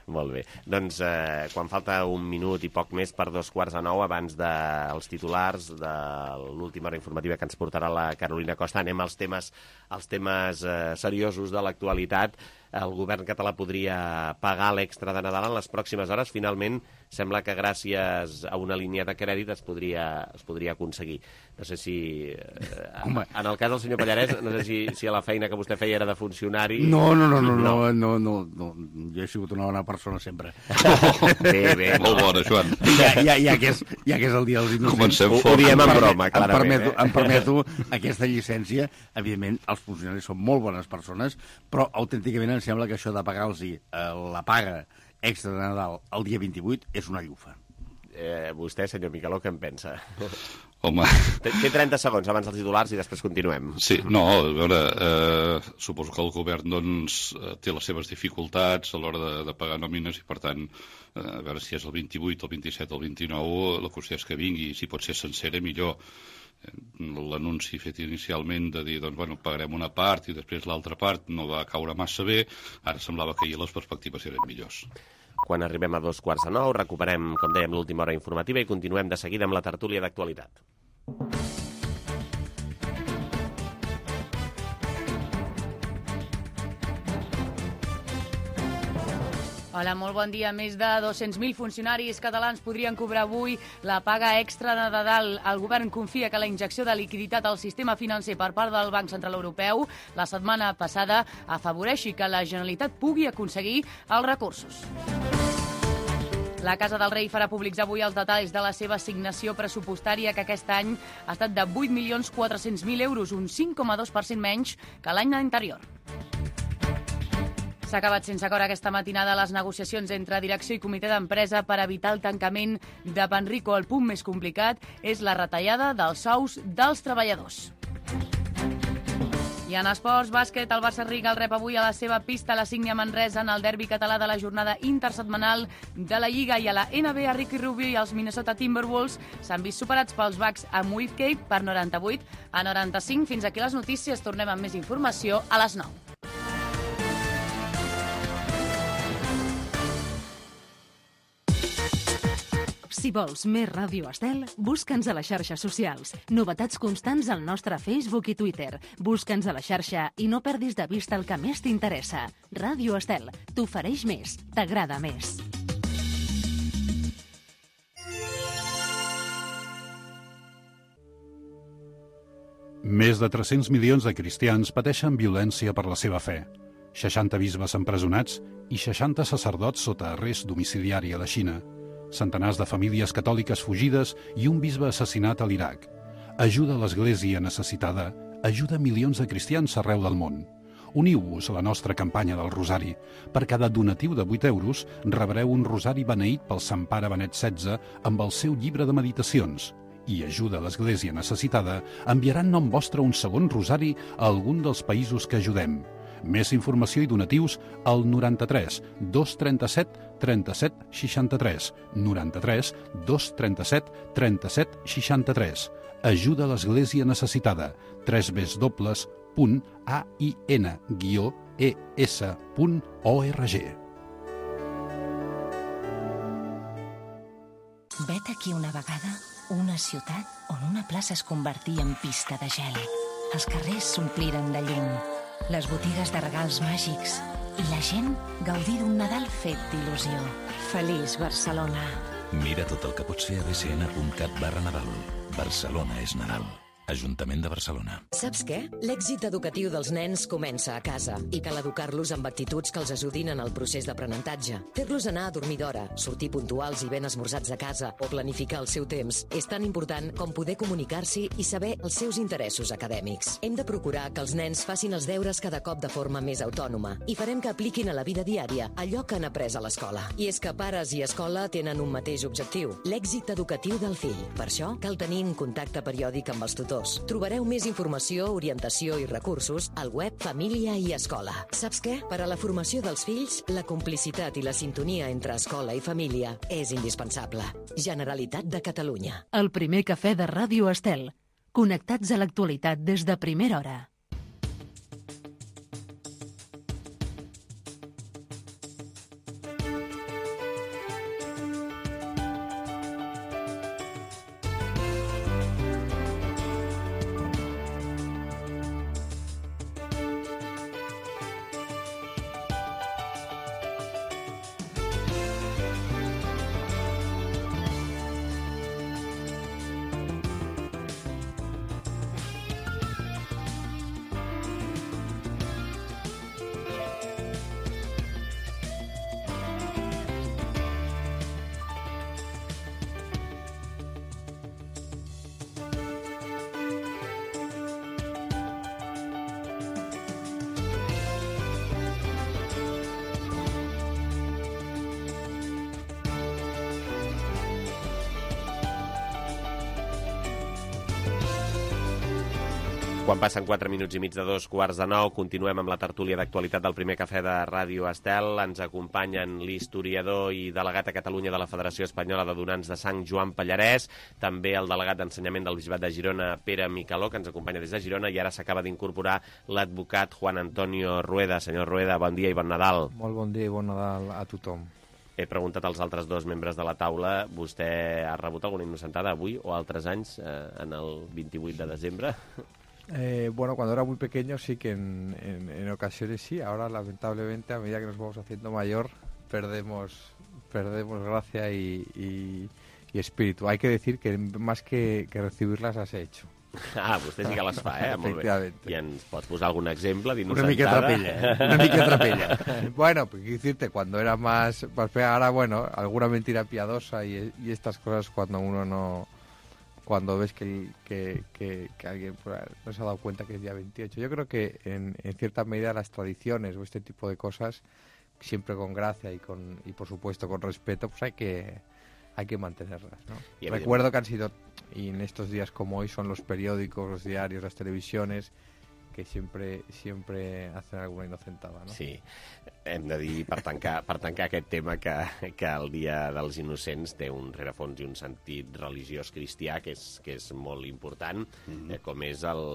Molt bé. Doncs eh, quan falta un minut i poc més per dos quarts de nou, abans dels titulars de l'última hora informativa que ens portarà la Carolina Costa, anem als temes, als temes eh, seriosos de l'actualitat. el govern català podria pagar l'extra de Nadal en les pròximes hores. Finalment, sembla que gràcies a una línia de crèdit es podria, es podria aconseguir. No sé si... Eh, en el cas del senyor Pallarès, no sé si, si la feina que vostè feia era de funcionari... No, no, no, no, no, no, no, no. Jo he sigut una bona persona sempre. Bé, bé. Molt bona, Joan. Ja, ja, ja, que és, ja que és el dia dels innocents... Comencem fort. Ho diem en broma, clarament. Em permeto, eh? em permeto aquesta llicència. Evidentment, els funcionaris són molt bones persones, però autènticament em sembla que això de pagar-los la paga extra de Nadal el dia vint-i-vuit és una llufa. Eh, vostè, senyor Micaló, què en pensa? Home... Té, té trenta segons abans dels titulars i després continuem. Sí, no, a veure, eh, suposo que el govern doncs, té les seves dificultats a l'hora de, de pagar nòmines i, per tant, eh, a veure si és el vint-i-vuit, el vint-i-set, el vint-i-nou, la qüestió és que vingui, si pot ser sencera, millor. L'anunci fet inicialment de dir, doncs, bueno, pagarem una part i després l'altra part no va caure massa bé, ara semblava que ahir les perspectives eren millors. Quan arribem a dos quarts de nou, recuperem, com dèiem, l'última hora informativa i continuem de seguida amb la tertúlia d'actualitat. Hola, molt bon dia. Més de dos-cents mil funcionaris catalans podrien cobrar avui la paga extra de Nadal. El govern confia que la injecció de liquiditat al sistema financer per part del Banc Central Europeu la setmana passada afavoreixi que la Generalitat pugui aconseguir els recursos. La Casa del Rei farà públics avui els detalls de la seva assignació pressupostària, que aquest any ha estat de vuit milions quatre-cents mil euros, un cinc coma dos per cent menys que l'any anterior. S'ha acabat sense acord aquesta matinada les negociacions entre direcció i comitè d'empresa per evitar el tancament de Panrico. El punt més complicat és la retallada dels sous dels treballadors. I en esports, bàsquet, el Barça Riga el rep avui a la seva pista a la Sígnia Manresa en el derbi català de la jornada intersetmanal de la Lliga. I a la N B A, Ricky Rubio i els Minnesota Timberwolves s'han vist superats pels Bucks amb Whitcape per noranta-vuit a noranta-cinc. Fins aquí les notícies. Tornem amb més informació a les nou. Si vols més Ràdio Estel, busca'ns a les xarxes socials. Novetats constants al nostre Facebook i Twitter. Busca'ns a la xarxa i no perdis de vista el que més t'interessa. Ràdio Estel, t'ofereix més, t'agrada més. Més de tres-cents milions de cristians pateixen violència per la seva fe. seixanta bisbes empresonats i seixanta sacerdots sota arrest domiciliari a la Xina. Centenars de famílies catòliques fugides i un bisbe assassinat a l'Iraq. Ajuda a l'Església necessitada, ajuda milions de cristians arreu del món. Uniu-vos a la nostra campanya del Rosari. Per cada donatiu de vuit euros rebreu un rosari beneït pel Sant Pare Benet setze amb el seu llibre de meditacions. I ajuda a l'Església necessitada enviarà en nom vostre un segon rosari a algun dels països que ajudem. Més informació i donatius al noranta-tres dos trenta-set trenta-set seixanta-tres, noranta-tres dos trenta-set trenta-set seixanta-tres. Ajuda a l'Església necessitada. tres w punt a i n guió e s punt org. Vet aquí una vegada una ciutat on una plaça es convertia en pista de gel. Els carrers s'ompliren de llum, les botigues de regals màgics i la gent gaudir d'un Nadal fet d'il·lusió. Feliç Barcelona. Mira tot el que pots fer a b c n punt cat barra Nadal. Barcelona és Nadal. Ajuntament de Barcelona. Saps què? L'èxit educatiu dels nens comença a casa i cal educar-los amb actituds que els ajudin en el procés d'aprenentatge. Fer-los anar a dormir d'hora, sortir puntuals i ben esmorzats a casa o planificar el seu temps és tan important com poder comunicar-s'hi i saber els seus interessos acadèmics. Hem de procurar que els nens facin els deures cada cop de forma més autònoma i farem que apliquin a la vida diària allò que han après a l'escola. I és que pares i escola tenen un mateix objectiu, l'èxit educatiu del fill. Per això cal tenir un contacte periòdic amb els tutors. Trobareu més informació, orientació i recursos al web Família i Escola. Saps què? Per a la formació dels fills, la complicitat i la sintonia entre escola i família és indispensable. Generalitat de Catalunya. El primer cafè de Ràdio Estel. Connectats a l'actualitat des de primera hora. Quan passen quatre minuts i mig de dos quarts de nou, continuem amb la tertúlia d'actualitat del primer cafè de Ràdio Estel. Ens acompanyen l'historiador i delegat a Catalunya de la Federació Espanyola de Donants de Sang, Joan Pallarès, també el delegat d'Ensenyament del Bisbat de Girona, Pere Micaló, que ens acompanya des de Girona, i ara s'acaba d'incorporar l'advocat Juan Antonio Rueda. Senyor Rueda, bon dia i bon Nadal. Molt bon dia i bon Nadal a tothom. He preguntat als altres dos membres de la taula, vostè ha rebut alguna innocentada avui o altres anys, eh, en el vint-i-vuit de desembre? Eh, bueno, cuando era muy pequeño sí que en, en, en ocasiones sí. Ahora, lamentablemente, a medida que nos vamos haciendo mayor, perdemos, perdemos gracia y, y, y espíritu. Hay que decir que más que, que recibirlas las he hecho. Ah, vostè sí que les fa, eh? Molt bé. I ens pots posar algun exemple d'inocentada? Una mica trapella, eh? Una mica trapella. Bueno, pues decirte, cuando era más, más fea, ahora, bueno, alguna mentira piadosa y, y estas cosas cuando uno no... cuando ves que, que, que, que alguien no se ha dado cuenta que es día veintiocho. Yo creo que en, en cierta medida las tradiciones o este tipo de cosas, siempre con gracia y con y por supuesto con respeto, pues hay que hay que mantenerlas, ¿no? Y recuerdo que han sido, y en estos días como hoy, son los periódicos, los diarios, las televisiones, que sempre, sempre hacen alguna inocentada, no? Sí, hem de dir, per tancar, per tancar aquest tema, que, que el Dia dels Innocents té un rerefons i un sentit religiós cristià que és, que és molt important, mm-hmm. eh, com és el,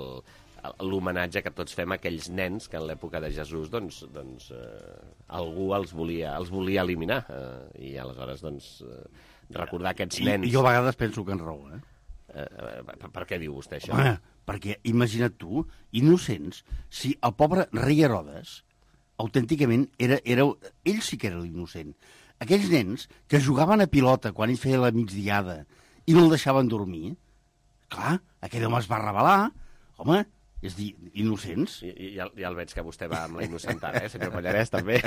l'homenatge que tots fem a aquells nens que en l'època de Jesús doncs, doncs, eh, algú els volia, els volia eliminar, eh, i aleshores doncs, eh, recordar aquests nens... I, jo a vegades penso que en raó, eh? Eh, per, per què diu vostè això? Home, perquè imagina't tu, innocents, si el pobre rei Herodes, autènticament, era, era, ell sí que era l'innocent. Aquells nens que jugaven a pilota quan ell feia la migdiada i no el deixaven dormir, clar, aquell home es va rebel·lar, home, és dir, innocents. I, i ja, ja el veig que vostè va amb la innocentada, eh, senyor Pallarès, també.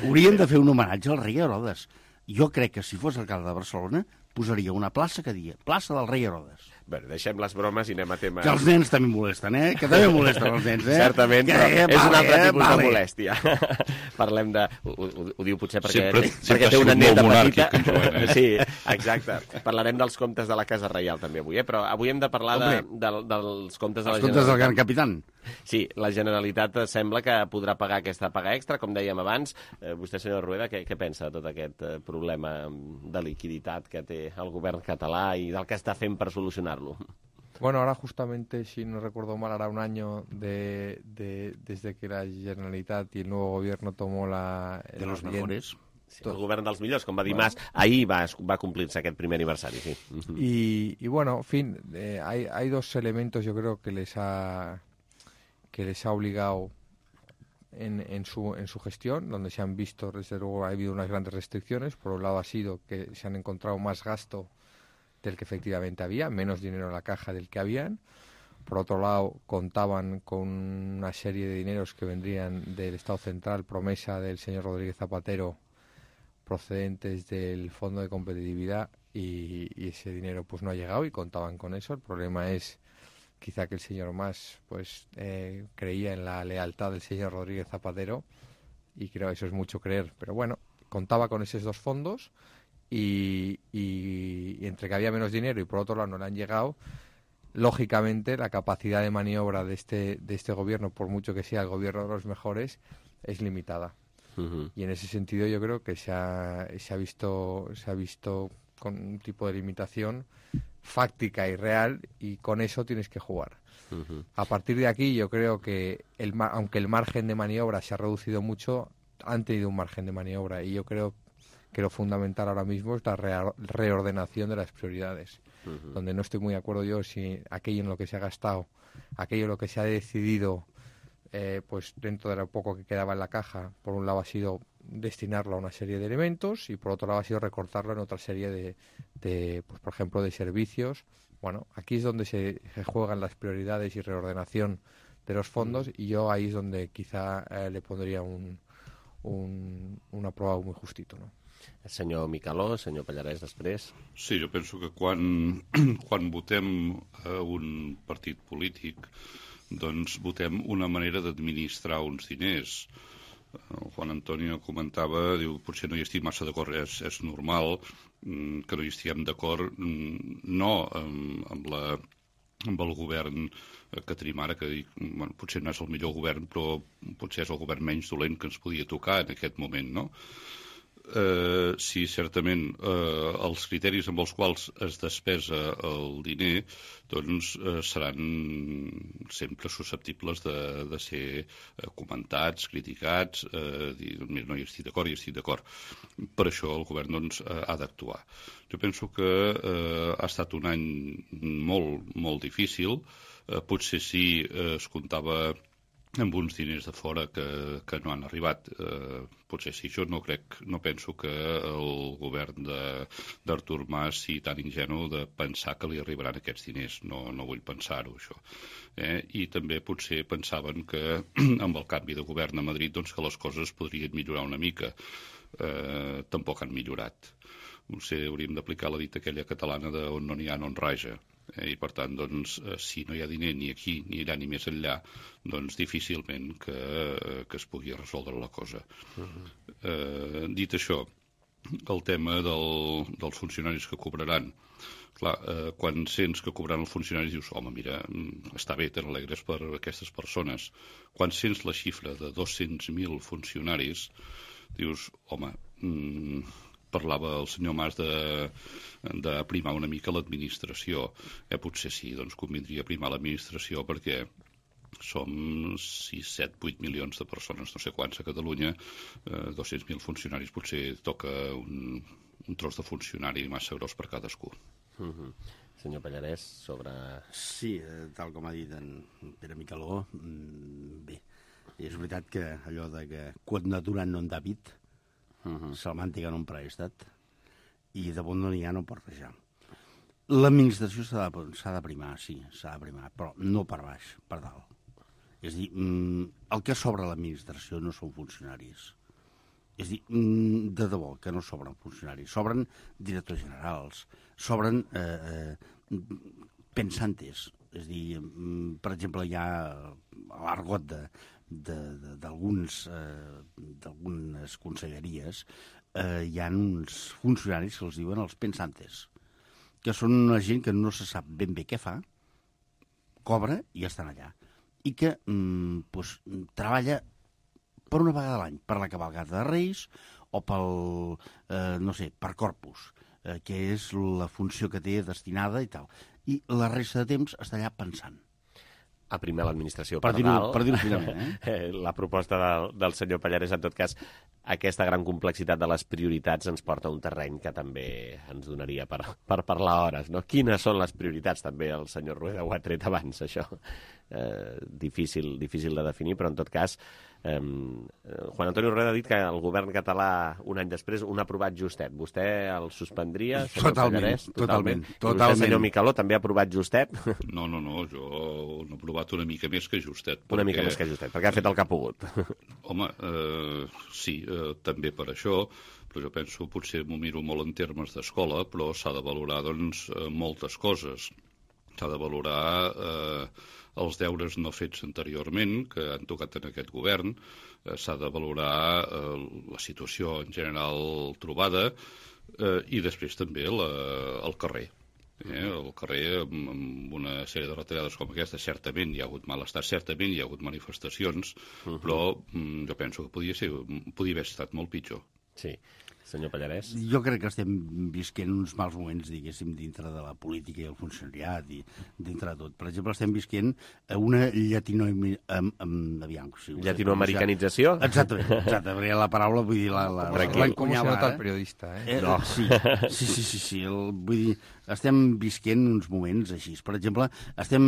Hauríem de fer un homenatge al rei Herodes. Jo crec que si fos alcalde de Barcelona posaria una plaça que dia plaça del rei Herodes. Bé, deixem les bromes i anem a temes... Que els nens també molesten, eh? Que també molesten els nens, eh? Certament, però que, és vale, un altre tipus vale. de molèstia. Parlem de... Ho, ho, ho diu potser perquè, sempre, té, sempre perquè té una neta petita. Joan, eh? Sí, exacte. Parlarem dels comptes de la Casa Reial també avui, eh? Però avui hem de parlar de, de, dels comptes de la els Generalitat. Els comptes del Gran Capitán. Sí, la Generalitat sembla que podrà pagar aquesta paga extra, com dèiem abans. Eh, vostè, senyor Rueda, què, què pensa de tot aquest eh, problema de liquiditat que té el govern català i del que està fent per solucionar-lo? Bueno, ahora justamente, si no recuerdo mal, hará un año de, de, desde que la Generalitat y el nuevo gobierno tomó la... De los mejores. Sí, el govern dels millors, com va dir bueno. Mas, ahir va, va complir-se aquest primer aniversari, sí. Y, y bueno, en fin, eh, hay, hay dos elementos yo creo que les ha, que les ha obligado en, en, su, en su gestión, donde se han visto, desde luego ha habido unas grandes restricciones. Por un lado ha sido que se han encontrado más gasto del que efectivamente había, menos dinero en la caja del que habían. Por otro lado, contaban con una serie de dineros que vendrían del Estado Central, promesa del señor Rodríguez Zapatero, procedentes del Fondo de Competitividad, y, y ese dinero pues no ha llegado y contaban con eso. El problema es quizá que el señor Mas pues eh, creía en la lealtad del señor Rodríguez Zapatero, y creo que eso es mucho creer, pero bueno, contaba con esos dos fondos. Y, y, y entre que había menos dinero y por otro lado no le han llegado, lógicamente la capacidad de maniobra de este, de este gobierno, por mucho que sea el gobierno de los mejores, es limitada. Uh-huh. Y en ese sentido yo creo que se ha, se ha visto, se ha visto con un tipo de limitación fáctica y real, y con eso tienes que jugar. Uh-huh. A partir de aquí yo creo que el, aunque el margen de maniobra se ha reducido mucho, han tenido un margen de maniobra, y yo creo que lo fundamental ahora mismo es la re- reordenación de las prioridades, uh-huh. donde no estoy muy de acuerdo yo si aquello en lo que se ha gastado, aquello en lo que se ha decidido, eh, pues dentro de lo poco que quedaba en la caja, por un lado ha sido destinarlo a una serie de elementos y por otro lado ha sido recortarlo en otra serie de, de pues por ejemplo, de servicios. Bueno, aquí es donde se, se juegan las prioridades y reordenación de los fondos, y yo ahí es donde quizá eh, le pondría un, un, un aprobado muy justito, ¿no? Senyor Micaló, senyor Pallarès, després. Sí, jo penso que quan, quan votem a un partit polític, doncs votem una manera d'administrar uns diners. El Juan Antonio comentava, diu, potser no hi estic massa d'acord, és, és normal que no hi estiguem d'acord, no amb, amb la amb el govern que tenim ara, que dic, bueno, potser no és el millor govern, però potser és el govern menys dolent que ens podia tocar en aquest moment, no? Eh, sí, certament, eh, els criteris amb els quals es despesa el diner doncs eh, seran sempre susceptibles de, de ser eh, comentats, criticats, eh, dir, no hi estic d'acord, hi estic d'acord. Per això el govern doncs, ha d'actuar. Jo penso que eh, ha estat un any molt, molt difícil. Eh, potser sí eh, es comptava amb uns diners de fora que, que no han arribat. Eh, potser sí, jo no crec, no penso que el govern d'Artur Mas sigui tan ingenu de pensar que li arribaran aquests diners. No, no vull pensar-ho, això. Eh? I també potser pensaven que amb el canvi de govern a Madrid doncs, que les coses podrien millorar una mica. Eh, tampoc han millorat. Potser hauríem d'aplicar la dita aquella catalana de on no n'hi ha no en raja. Eh, I per tant, doncs, eh, si no hi ha diner ni aquí ni allà ni més enllà, doncs difícilment que, eh, que es pugui resoldre la cosa. Uh-huh. eh, dit això, el tema del, dels funcionaris que cobraran. Clar, eh, quan sents que cobraran els funcionaris dius, home, mira, està bé, te n'alegres per aquestes persones. Quan sents la xifra de dos-cents mil funcionaris, dius, home, mmm, parlava el senyor Mas de, de primar una mica l'administració. Eh, potser sí, doncs convindria primar l'administració perquè som sis, set, vuit milions de persones, no sé quants a Catalunya, eh, dos-cents mil funcionaris, potser toca un, un tros de funcionari massa gros per cadascú. Uh-huh. Senyor Pallarès, sobre... Sí, eh, tal com ha dit en Pere Micaló, bé, és veritat que allò de que quod naturat non David, Uh-huh. Salmàntica no en prestat i de bon no n'hi ha no pot rejar. L'administració s'ha de, s'ha de primar, sí, s'ha de primar, però no per baix, per dalt. És a dir, el que sobra a l'administració no són funcionaris. És a dir, de debò que no sobren funcionaris. Sobren directors generals, sobren eh, eh, pensantes. És a dir, per exemple, hi ha l'argot de d'algunes eh, d'algunes conselleries eh, hi ha uns funcionaris que els diuen els pensantes, que són una gent que no se sap ben bé què fa, cobra i estan allà, i que mm, pues, treballa per una vegada a l'any, per la cavalcada de Reis o pel, eh, no sé, per Corpus, eh, que és la funció que té destinada i tal, i la resta de temps està allà pensant. A primar l'administració per, per dalt. Per dir-ho finalment, eh? La proposta del, del senyor Pallarès, en tot cas, aquesta gran complexitat de les prioritats ens porta a un terreny que també ens donaria per, per parlar hores, no? Quines són les prioritats? També el senyor Rueda ho ha tret abans, això. Eh, difícil, difícil de definir, però en tot cas eh, Juan Antonio Rueda ha dit que el govern català un any després un ha aprovat justet. Vostè el suspendria, senyor totalment, Pallarès? Totalment, totalment. totalment. Vostè, senyor Micaló, també ha aprovat justet? No, no, no, jo no he aprovat una mica més que justet. Una perquè... mica més que justet, perquè ha fet el que ha pogut. Home, eh, sí, eh, també per això, però jo penso, potser m'ho miro molt en termes d'escola, però s'ha de valorar, doncs, moltes coses. S'ha de valorar eh, els deures no fets anteriorment, que han tocat en aquest govern, eh, s'ha de valorar eh, la situació en general trobada eh, i després també la, el carrer. Eh, el carrer, amb, amb una sèrie de retallades com aquesta, certament hi ha hagut malestar, certament hi ha hagut manifestacions, uh-huh. però mm, jo penso que podia, ser, podia haver estat molt pitjor. Sí. Senyor Pallarès? Jo crec que estem visquent uns mals moments, diguéssim, dintre de la política i el funcionariat i dintre de tot. Per exemple, estem visquent una llatino... Um, um, aviam, si llatinoamericanització? Exactament, exacte, perquè la paraula, vull dir, la... la Com se nota el periodista, eh? eh no. Sí, sí, sí, sí, sí el, vull dir, estem visquent uns moments així. Per exemple, estem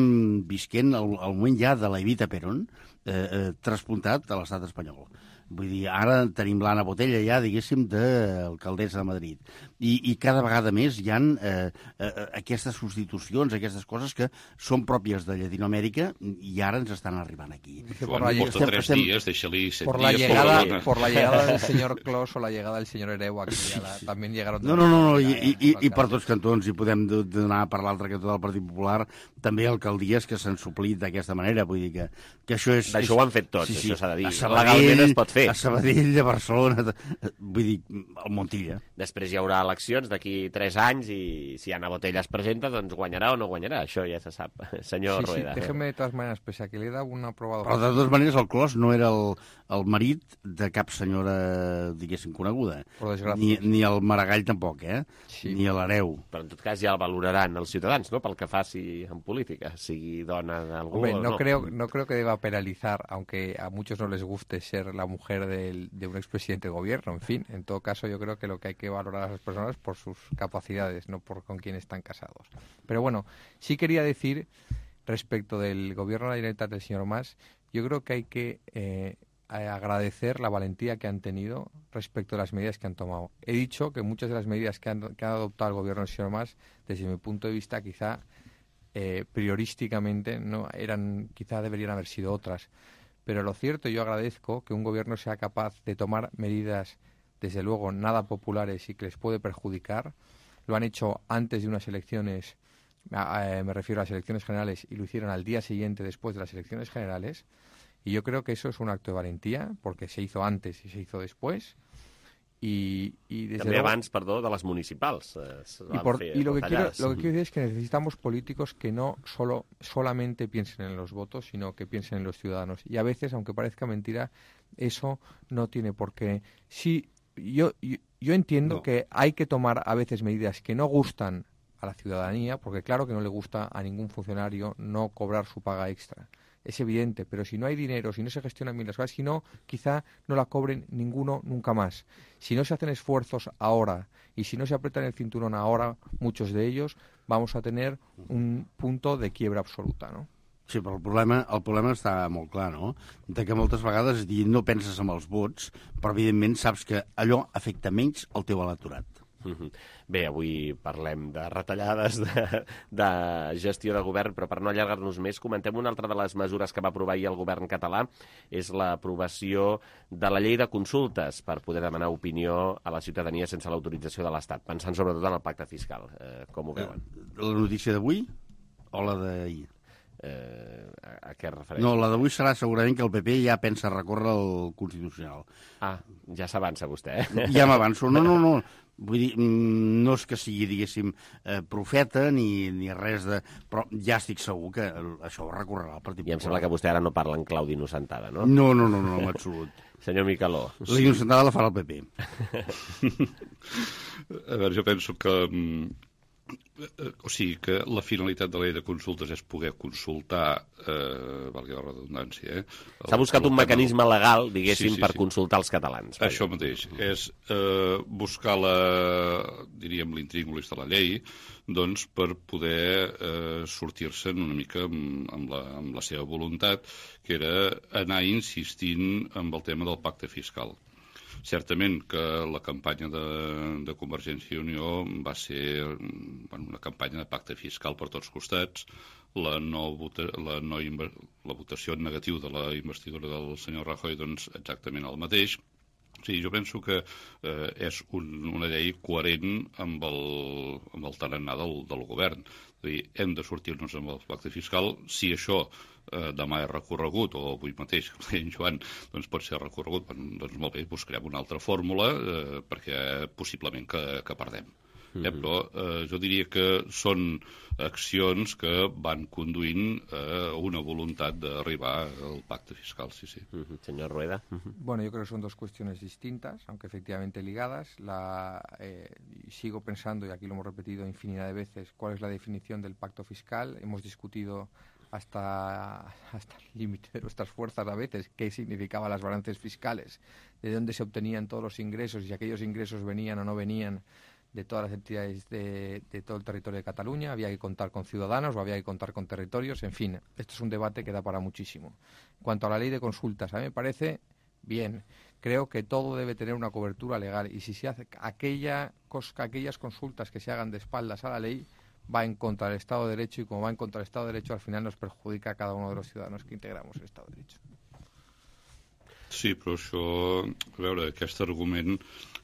visquent el, el moment ja de la Evita Perón eh, eh, traspuntat a l'estat espanyol. Vull dir, ara tenim l'Anna Botella ja, diguéssim, d'alcaldessa de Madrid. I, i cada vegada més hi ha eh, eh, aquestes substitucions, aquestes coses que són pròpies de Llatinoamèrica i ara ens estan arribant aquí. Joan, bueno, porta estem, tres estem... dies, deixa-li set por dies. La llegada, por, por la llegada del señor Clos o la llegada del señor Ereu, aquí ja també llegaron... No, no, no, no i, i, i, i per tots cantons, i podem donar per l'altre cantó del Partit Popular, també alcaldies que s'han suplit d'aquesta manera, vull dir que, que això és... D'això és... ho han fet tots, sí, sí. això s'ha de dir. Sabadell, legalment es pot fer. fer. A Sabadell, a Barcelona, vull dir, al Montilla. Després hi haurà eleccions d'aquí tres anys i si Ana Botella es presenta, doncs guanyarà o no guanyarà. Això ja se sap, senyor sí, Rueda. Sí, déjeme de todas maneras, pese a que le he dado una probada... Però de totes maneres el Clos no era el, el marit de cap senyora, diguéssim, coneguda. Ni, ni el Maragall tampoc, eh? Sí. Ni l'Hereu. Però en tot cas ja el valoraran els ciutadans, no?, pel que faci en política, sigui dona d'algú Hombre, o no. no. Creo, no creo que deba penalizar, aunque a muchos no les guste ser la mujer del, de un expresidente de gobierno. En fin, en todo caso yo creo que lo que hay que valorar a las personas por sus capacidades, no por con quién están casados. Pero bueno, sí quería decir, respecto del gobierno de la Generalitat del señor Mas, yo creo que hay que eh, agradecer la valentía que han tenido respecto a las medidas que han tomado. He dicho que muchas de las medidas que han, que ha adoptado el gobierno del señor Mas, desde mi punto de vista, quizá eh, priorísticamente no eran, quizá deberían haber sido otras. Pero lo cierto, yo agradezco que un gobierno sea capaz de tomar medidas, desde luego, nada populares y que les puede perjudicar. Lo han hecho antes de unas elecciones, eh, me refiero a las elecciones generales, y lo hicieron al día siguiente después de las elecciones generales. Y yo creo que eso es un acto de valentía, porque se hizo antes y se hizo después. Y, y desde També luego, abans, perdó, de les municipals. Eh, y, por, y lo, que quiero, lo que quiero decir es que necesitamos políticos que no solo solamente piensen en los votos, sino que piensen en los ciudadanos. Y a veces, aunque parezca mentira, eso no tiene por qué. Sí, yo, yo, yo entiendo no. que hay que tomar a veces medidas que no gustan a la ciudadanía, porque claro que no le gusta a ningún funcionario no cobrar su paga extra. Es evidente, pero si no hay dinero, si no se gestionan bien las cosas, si no, quizá no la cobren ninguno nunca más. Si no se hacen esfuerzos ahora y si no se apretan el cinturón ahora, muchos de ellos, vamos a tener un punto de quiebra absoluta, ¿no? Sí, però el problema, el problema està molt clar, no? De que moltes vegades dir, no penses en els vots, però evidentment saps que allò afecta menys el teu electorat. Bé, avui parlem de retallades, de, de gestió de govern, però per no allargar-nos més, comentem una altra de les mesures que va aprovar ahir el govern català, és l'aprovació de la llei de consultes per poder demanar opinió a la ciutadania sense l'autorització de l'Estat, pensant sobretot en el pacte fiscal. Eh, com ho veuen? La notícia d'avui o la d'ahir? Eh, a, a què es refereix? No, la d'avui serà segurament que el P P ja pensa recórrer al Constitucional. Ah, ja s'avança vostè, eh? Ja m'avanço. No, no, no. Vull dir, no és que sigui, diguéssim, eh, profeta ni, ni res de... Però ja estic segur que això ho recorrerà al Partit Popular. I em sembla que vostè ara no parla en clau d'innocentada, no? No, no, no, no, en absolut. Senyor Micaló. La innocentada la farà el P P. A veure, jo penso que... O sigui, que la finalitat de la llei de consultes és poder consultar, eh, valgui la redundància... Eh, S'ha buscat un mecanisme legal, diguéssim, sí, sí, per sí. consultar els catalans. Això mateix. És eh, buscar la, diríem, l'intríngulis de la llei, doncs, per poder eh, sortir-se'n una mica amb, amb, la, amb la seva voluntat, que era anar insistint amb el tema del pacte fiscal. Certament que la campanya de, de Convergència i Unió va ser bueno, una campanya de pacte fiscal per tots costats. La, no vota, la, no, la votació en negatiu de la investidura del senyor Rajoy, doncs exactament el mateix. Sí, jo penso que eh, és un, una llei coherent amb el, amb el tarannà del, del govern. És a dir, hem de sortir-nos amb el pacte fiscal. Si això eh, demà és recorregut, o avui mateix, com deia en Joan, doncs pot ser recorregut, doncs molt bé, buscarem una altra fórmula eh, perquè possiblement que, que perdem. Eh, però eh, jo diria que són accions que van conduint a una voluntat d'arribar al pacte fiscal, sí, sí. Uh-huh. Señor Rueda. Uh-huh. Bueno, yo creo que son dos cuestiones distintas, aunque efectivamente ligadas. La, eh, sigo pensando, y aquí lo hemos repetido infinidad de veces, cuál es la definición del pacto fiscal. Hemos discutido hasta, hasta el límite de nuestras fuerzas a veces qué significaban las balances fiscales, de dónde se obtenían todos los ingresos y si aquellos ingresos venían o no venían de todas las entidades de, de todo el territorio de Cataluña, había que contar con ciudadanos o había que contar con territorios, en fin, esto es un debate que da para muchísimo. En cuanto a la ley de consultas, a mí me parece bien, creo que todo debe tener una cobertura legal y si se hace aquella, aquellas consultas que se hagan de espaldas a la ley, va en contra del Estado de Derecho y como va en contra del Estado de Derecho, al final nos perjudica a cada uno de los ciudadanos que integramos el Estado de Derecho. Sí, però això, a veure, aquest argument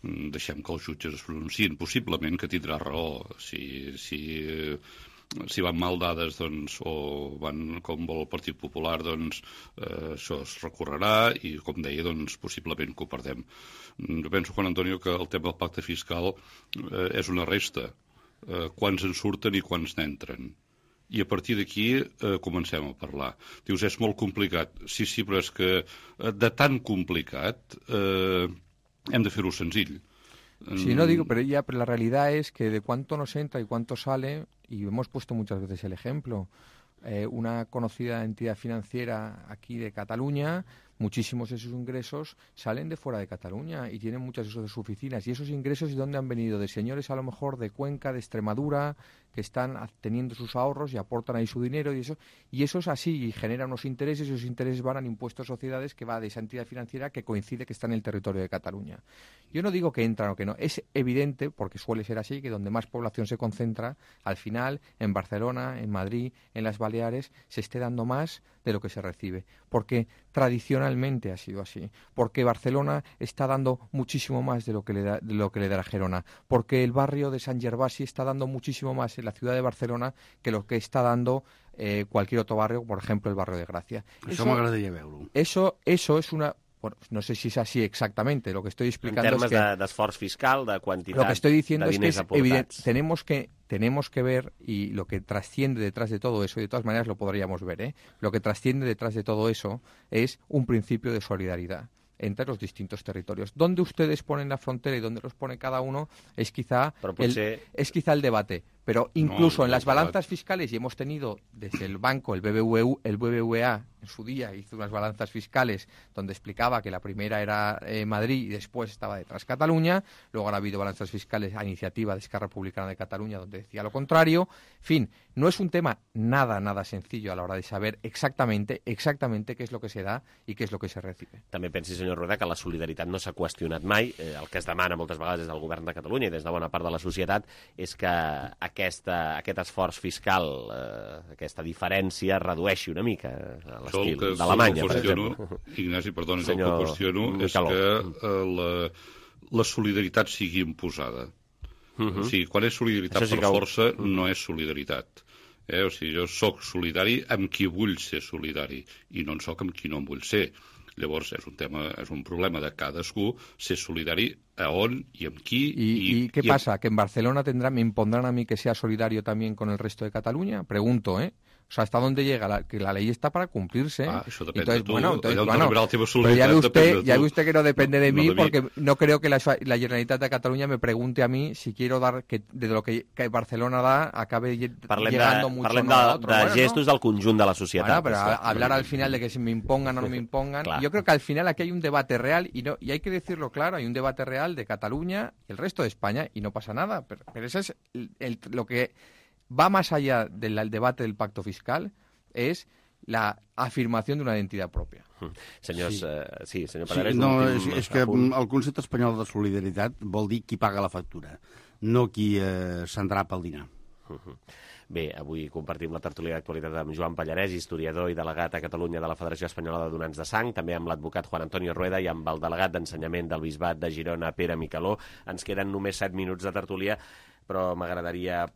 deixem que els jutges es pronunciïn, possiblement que tindrà raó. Si, si si van mal dades doncs, o van com vol el Partit Popular, doncs eh, això es recorrerà i, com deia, doncs, possiblement que ho perdem. Jo penso, Juan Antonio, que el tema del pacte fiscal eh, és una resta. Eh, quants en surten i quants n'entren. I a partir d'aquí eh, comencem a parlar. Dius, és molt complicat. Sí, sí, però és que eh, de tan complicat eh, hem de fer-ho senzill. Sí, no digo, pero ya pero la realidad es que de cuánto nos entra y cuánto sale, y hemos puesto muchas veces el ejemplo, eh, una conocida entidad financiera aquí de Cataluña, muchísimos de sus ingresos salen de fuera de Cataluña y tienen muchas de sus oficinas. ¿Y esos ingresos de dónde han venido? De señores a lo mejor de Cuenca, de Extremadura, que están teniendo sus ahorros y aportan ahí su dinero y eso. Y eso es así y genera unos intereses y esos intereses van al impuesto a sociedades que va de esa entidad financiera que coincide que está en el territorio de Cataluña. Yo no digo que entran o que no. Es evidente, porque suele ser así, que donde más población se concentra, al final, en Barcelona, en Madrid, en las Baleares, se esté dando más de lo que se recibe. Porque tradicionalmente ha sido así. Porque Barcelona está dando muchísimo más de lo que le da, de lo que le dará Gerona. Porque el barrio de Sant Gervasi está dando muchísimo más en la ciudad de Barcelona que lo que está dando eh, cualquier otro barrio, por ejemplo, el barrio de Gracia. Això m'agradaria veure-ho. Eso, eso es una... Bueno, no sé si es así exactamente. Lo que estoy explicando en termes es que... d'esforç fiscal, de quantitat lo que estoy diciendo de es que diners es aportats. evidente, tenemos que tenemos que ver, y lo que trasciende detrás de todo eso, y de todas maneras lo podríamos ver, ¿eh? Lo que trasciende detrás de todo eso es un principio de solidaridad entre los distintos territorios. Dónde ustedes ponen la frontera y dónde los pone cada uno es quizá, potser... el, es quizá el debate. Pero incluso no, en las no, balanzas fiscales, y hemos tenido desde el banco, el B B V U, el B B V A en su día hizo unas balanzas fiscales donde explicaba que la primera era eh, Madrid y después estaba detrás Cataluña, luego han habido balanzas fiscales a iniciativa de Esquerra Republicana de Cataluña donde decía lo contrario. En fin, no es un tema nada, nada sencillo a la hora de saber exactamente, exactamente qué es lo que se da y qué es lo que se recibe. També pensi, senyor Rueda, que la solidaritat no s'ha qüestionat mai. Eh, el que es demana moltes vegades des del govern de Catalunya i des de bona part de la societat és que aquesta, aquest esforç fiscal, eh, aquesta diferència, redueixi una mica a l'estil d'Alemanya, per exemple. Ignasi, perdona, senyor el que qüestiono és Micaló. que eh, la, la solidaritat sigui imposada. Uh -huh. O sigui, quan és solidaritat sí per que... força, uh -huh. no és solidaritat. Eh? O sigui, jo sóc solidari amb qui vull ser solidari i no en sóc amb qui no en vull ser. Llavors, és un tema, és un problema de cadascú ser solidari a on i amb qui. ¿Y, y, y qué y pasa? ¿Que en Barcelona tendrá, me impondrán a mí que sea solidario también con el resto de Cataluña? Pregunto, ¿eh? O sea, ¿hasta dónde llega? La, que la ley está para cumplirse. Ah, eso depende entonces, de tú. Bueno, entonces, bueno, pero ya ve usted, de ya ve usted que no depende de no, mí, no de porque mí. no creo que la, la Generalitat de Cataluña me pregunte a mí si quiero dar, que de lo que, que Barcelona da, acabe parlem llegando de, mucho parlem no de, a otro. de Bueno, gestos ¿no? del conjunt de la societat. Bueno, pero a, hablar al final de que si me impongan o no me impongan, yo creo que al final aquí hay un debate real, y no y hay que decirlo claro, hay un debate real de Cataluña y el resto de España, y no pasa nada, pero, pero eso es el, el, lo que va más allá del el debate del pacto fiscal, es la afirmación de una identitat pròpia. Senyors, sí, uh, sí senyor Pallarès... Sí, no, és, últim, és que el concepte espanyol de solidaritat vol dir qui paga la factura, no qui eh, s'endrapa el dinar. Uh -huh. Bé, avui compartim la tertúlia d'actualitat amb Joan Pallarès, historiador i delegat a Catalunya de la Federació Espanyola de Donants de Sang, també amb l'advocat Juan Antonio Rueda i amb el delegat d'Ensenyament del Bisbat de Girona, Pere Micaló. Ens queden només set minuts de tertúlia, però m'agradaria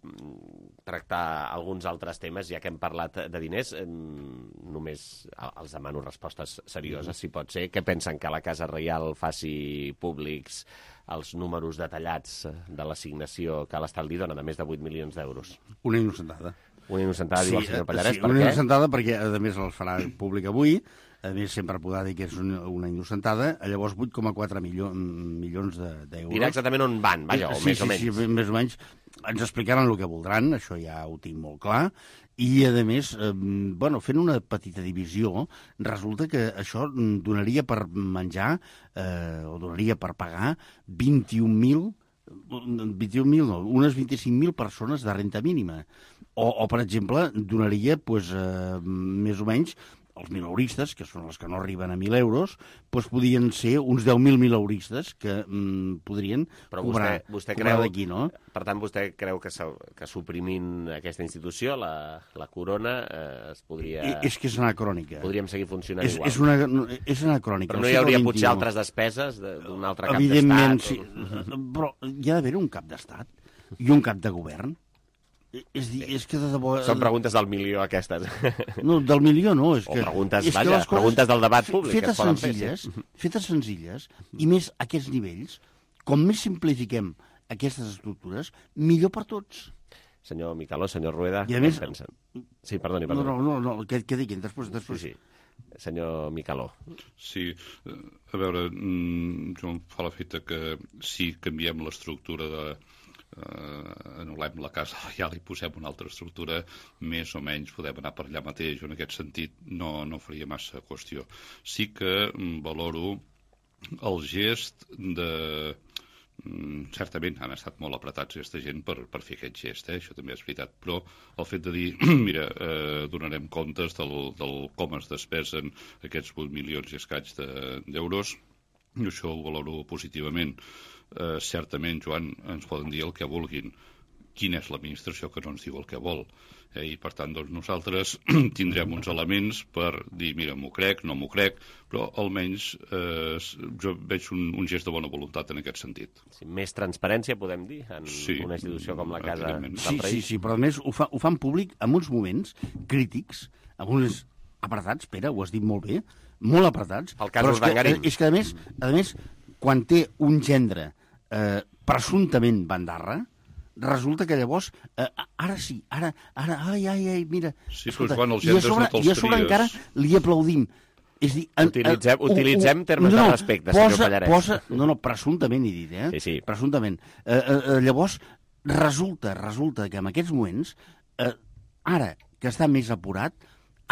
tractar alguns altres temes, ja que hem parlat de diners. Només els demano respostes serioses, si pot ser. Què pensen que la Casa Reial faci públics els números detallats de l'assignació que l'Estat li dona, de més de vuit milions d'euros? Una innocentada. Una innocentada, sí, diu el senyor Pallarès, sí, per una què? Una innocentada perquè, a més, els farà públic avui. A més, sempre podrà dir que és una, una innocentada. Llavors, vuit coma quatre milió, milions d'euros. Dirà exactament on van, vaja, o sí, més sí, o menys. Sí, sí, més o menys. Ens explicaran el que voldran, això ja ho tinc molt clar. I, a més, eh, bueno, fent una petita divisió, resulta que això donaria per menjar, eh, o donaria per pagar vint-i-un mil, vint-i-un mil no, unes vint-i-cinc mil persones de renta mínima. O, o per exemple, donaria, pues, eh, més o menys, els mileuristes, que són els que no arriben a mil euros, doncs podrien ser uns deu mil mileuristes que mm, podrien Però cobrar, vostè, vostè cobrar creu, d'aquí, no? Per tant, vostè creu que, que suprimint aquesta institució, la, la corona, eh, es podria... I, és que és anacrònica. Podríem seguir funcionant és, igual. És, una, és anacrònica. Però no hi hauria potser altres despeses d'un altre cap Evidentment, d'estat? Evidentment, sí. O... Però hi ha d'haver un cap d'estat i un cap de govern. És, dir, és que de debò... Són preguntes del milió, aquestes. No, del milió no. És o que, preguntes, és vaja, que preguntes del debat públic. Fetes que senzilles, fer, sí. fetes senzilles, i més a aquests nivells, com més simplifiquem aquestes estructures, millor per tots. Senyor Micaló, senyor Rueda, I a més... què pensen? Sí, perdoni, perdoni. No, no, no, no que, que diguin, després, després. Sí, sí. Senyor Micaló. Sí, a veure, jo em fa l'efecte que si canviem l'estructura de... Uh, anul·lem la casa reial i posem una altra estructura, més o menys podem anar per allà mateix. En aquest sentit no, no faria massa qüestió. Sí que valoro el gest de... Certament han estat molt apretats aquesta gent per, per fer aquest gest, eh? Això també és veritat, però el fet de dir, mira, eh, donarem comptes del, del com es despesen aquests vuit milions i escaig d'euros, de, això ho valoro positivament. Eh, certament, Joan, ens poden dir el que vulguin. Quina és l'administració que no ens diu el que vol? Eh, I, per tant, doncs, nosaltres tindrem uns elements per dir, mira, m'ho crec, no m'ho crec, però almenys eh, jo veig un, un gest de bona voluntat en aquest sentit. Sí, més transparència, podem dir, en sí, una institució com la Casa del sí, Rei. Sí, sí, però a més ho, fa, ho fan públic en uns moments crítics, en uns apretats, Pere, ho has dit molt bé, molt apretats. El cas Urdangarín. És que, a més, a més, quan té un gendre eh, presumptament bandarra, resulta que llavors, eh, ara sí, ara, ara, ai, ai, ai, mira... Sí, escolta, quan els gendres i a sobre, no te'ls i a sobre tries. encara li aplaudim. És dir, en, utilitzem, en, utilitzem uh, termes no, de respecte, posa, senyor Pallarès. Posa, no, no, presumptament he dit, eh? Sí, sí. Presumptament. Eh, eh, llavors, resulta, resulta que en aquests moments, eh, ara que està més apurat,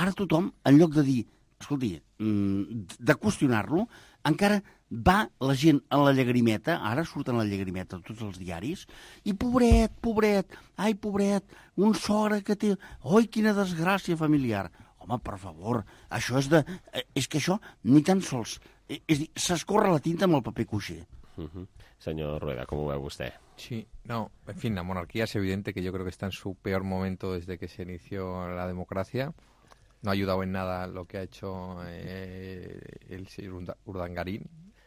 ara tothom, en lloc de dir, escolti, de qüestionar-lo, encara va la gent a la llagrimeta, ara surten a la llagrimeta tots els diaris, i pobret, pobret, ai, pobret, un sogre que té... Oi, quina desgràcia familiar. Home, per favor, això és de... És que això ni tan sols... És dir, s'escorre la tinta amb el paper cuixer. Uh -huh. Señor Rueda, ¿cómo ve usted? Sí, no, en fin, la monarquía es evidente que yo creo que está en su peor momento desde que se inició la democracia. No ha ayudado en nada lo que ha hecho eh, el señor Urdangarín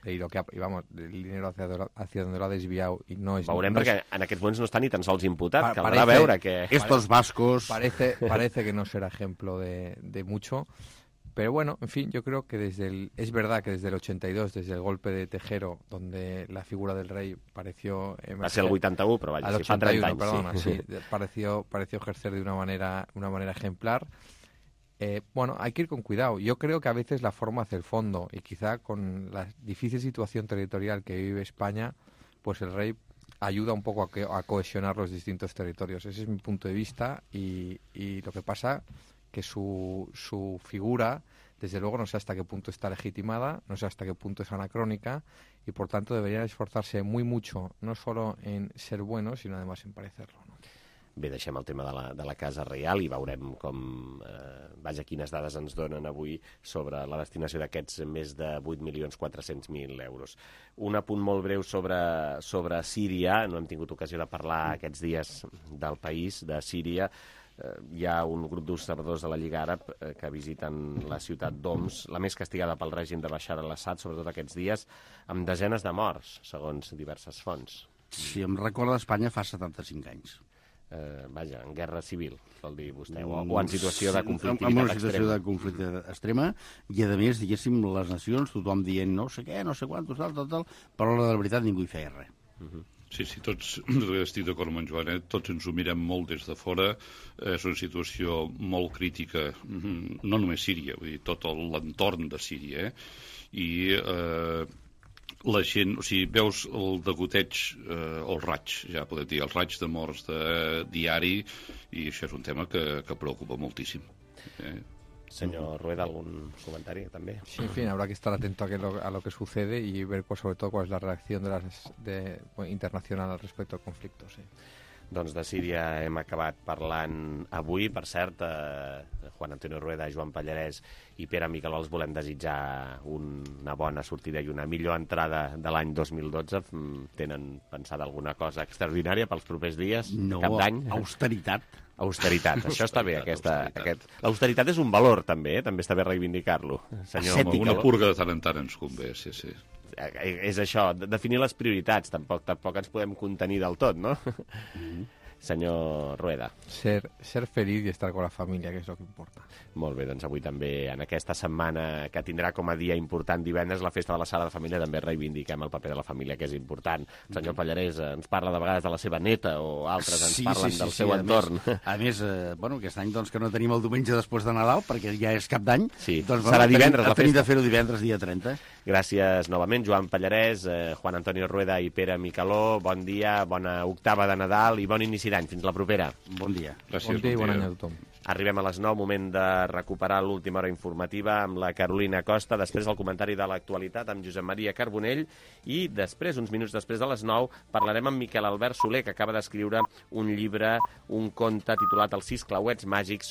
y lo que ha, y vamos, el dinero hacia, hacia donde lo ha desviado y no es... Veurem no perquè es, en aquests moments no està ni tan sols imputat, pa, caldrà parece, veure que... Estos vascos... Parece, parece que no será ejemplo de, de mucho, pero bueno, en fin, yo creo que desde el... Es verdad que desde el ochenta y dos, desde el golpe de Tejero, donde la figura del rey pareció... Emerger, va ser el vuitanta u, però vaja, al si fa ochenta y uno, trenta anys. Perdona, sí. sí, pareció, pareció ejercer de una manera, una manera ejemplar. Eh, bueno, hay que ir con cuidado. Yo creo que a veces la forma hace el fondo y quizá con la difícil situación territorial que vive España, pues el rey ayuda un poco a, que, a cohesionar los distintos territorios. Ese es mi punto de vista y, y lo que pasa que su, su figura, desde luego, no sé hasta qué punto está legitimada, no sé hasta qué punto es anacrónica y por tanto deberían esforzarse muy mucho, no solo en ser buenos, sino además en parecerlo, ¿no? Bé, deixem el tema de la, de la Casa Reial i veurem com, eh, vaja, quines dades ens donen avui sobre la destinació d'aquests més de vuit milions quatre-cents mil euros. Un apunt molt breu sobre, sobre Síria, no hem tingut ocasió de parlar aquests dies del país, de Síria. Eh, hi ha un grup d'observadors de la Lliga Àrab eh, que visiten la ciutat d'Homs, la més castigada pel règim de Bashar al-Assad, sobretot aquests dies, amb desenes de morts, segons diverses fonts. Si em recorda Espanya fa setanta-cinc anys. Eh, vaja, en guerra civil, vol dir vostè, o, o en situació de conflictivitat extrema. En una extrema. situació de conflicte extrema, i a més, diguéssim, les nacions, tothom dient no sé què, no sé quantos, tal, tal, tal, però a l'hora de la veritat ningú hi feia res. Uh -huh. Sí, sí, tots, estic d'acord amb en Joan, eh? Tots ens ho mirem molt des de fora, és una situació molt crítica, no només Síria, vull dir, tot l'entorn de Síria, eh? I eh, la gent, o sigui, veus el degoteig, eh, el raig, ja podem dir, els raigs de morts de diari, i això és un tema que, que preocupa moltíssim. Eh? Señor Rueda, ¿algún comentario también? Sí, en fin, habrá que estar atento a, que lo, a lo que sucede y ver cuál, sobre todo cuál es la reacción de las, de, bueno, internacional al respecto al conflicto, sí. Doncs de Síria hem acabat parlant avui. Per cert, eh, Juan Antonio Rueda, Joan Pallarès i Pere Micaló els volem desitjar una bona sortida i una millor entrada de l'any dos mil dotze. Tenen pensada alguna cosa extraordinària pels propers dies? No, cap d'any? austeritat. Austeritat, això està bé. Aquesta, aquest... L'austeritat és un valor, també, eh? També està bé reivindicar-lo. Senyor, una purga de tant en tant ens convé, sí, sí. És això, definir les prioritats, tampoc tampoc ens podem contenir del tot, no? Mm-hmm. Senyor Rueda. Ser, ser feliz y estar con la familia, que és el que importa. Molt bé, doncs avui també, en aquesta setmana que tindrà com a dia important divendres la festa de la Sala de Família, també reivindiquem el paper de la família, que és important. El senyor Pallarès ens parla de vegades de la seva neta o altres ens sí, parlen sí, sí, del sí, seu a entorn. Més, a més, eh, bueno, aquest any doncs, que no tenim el diumenge després de Nadal, perquè ja és cap d'any, sí. doncs serà bueno, divendres tenim, la festa. Tenim de fer-ho divendres, dia trenta. Gràcies novament, Joan Pallarès, eh, Juan Antonio Rueda i Pere Micaló. Bon dia, bona octava de Nadal i bon inici d'any. Fins la propera. Bon dia. Gràcies, bon dia i bon any a tothom. Arribem a les nou, moment de recuperar l'última hora informativa amb la Carolina Costa, després el comentari de l'actualitat amb Josep Maria Carbonell i després, uns minuts després de les nou, parlarem amb Miquel Albert Soler, que acaba d'escriure un llibre, un conte titulat Els sis clauets màgics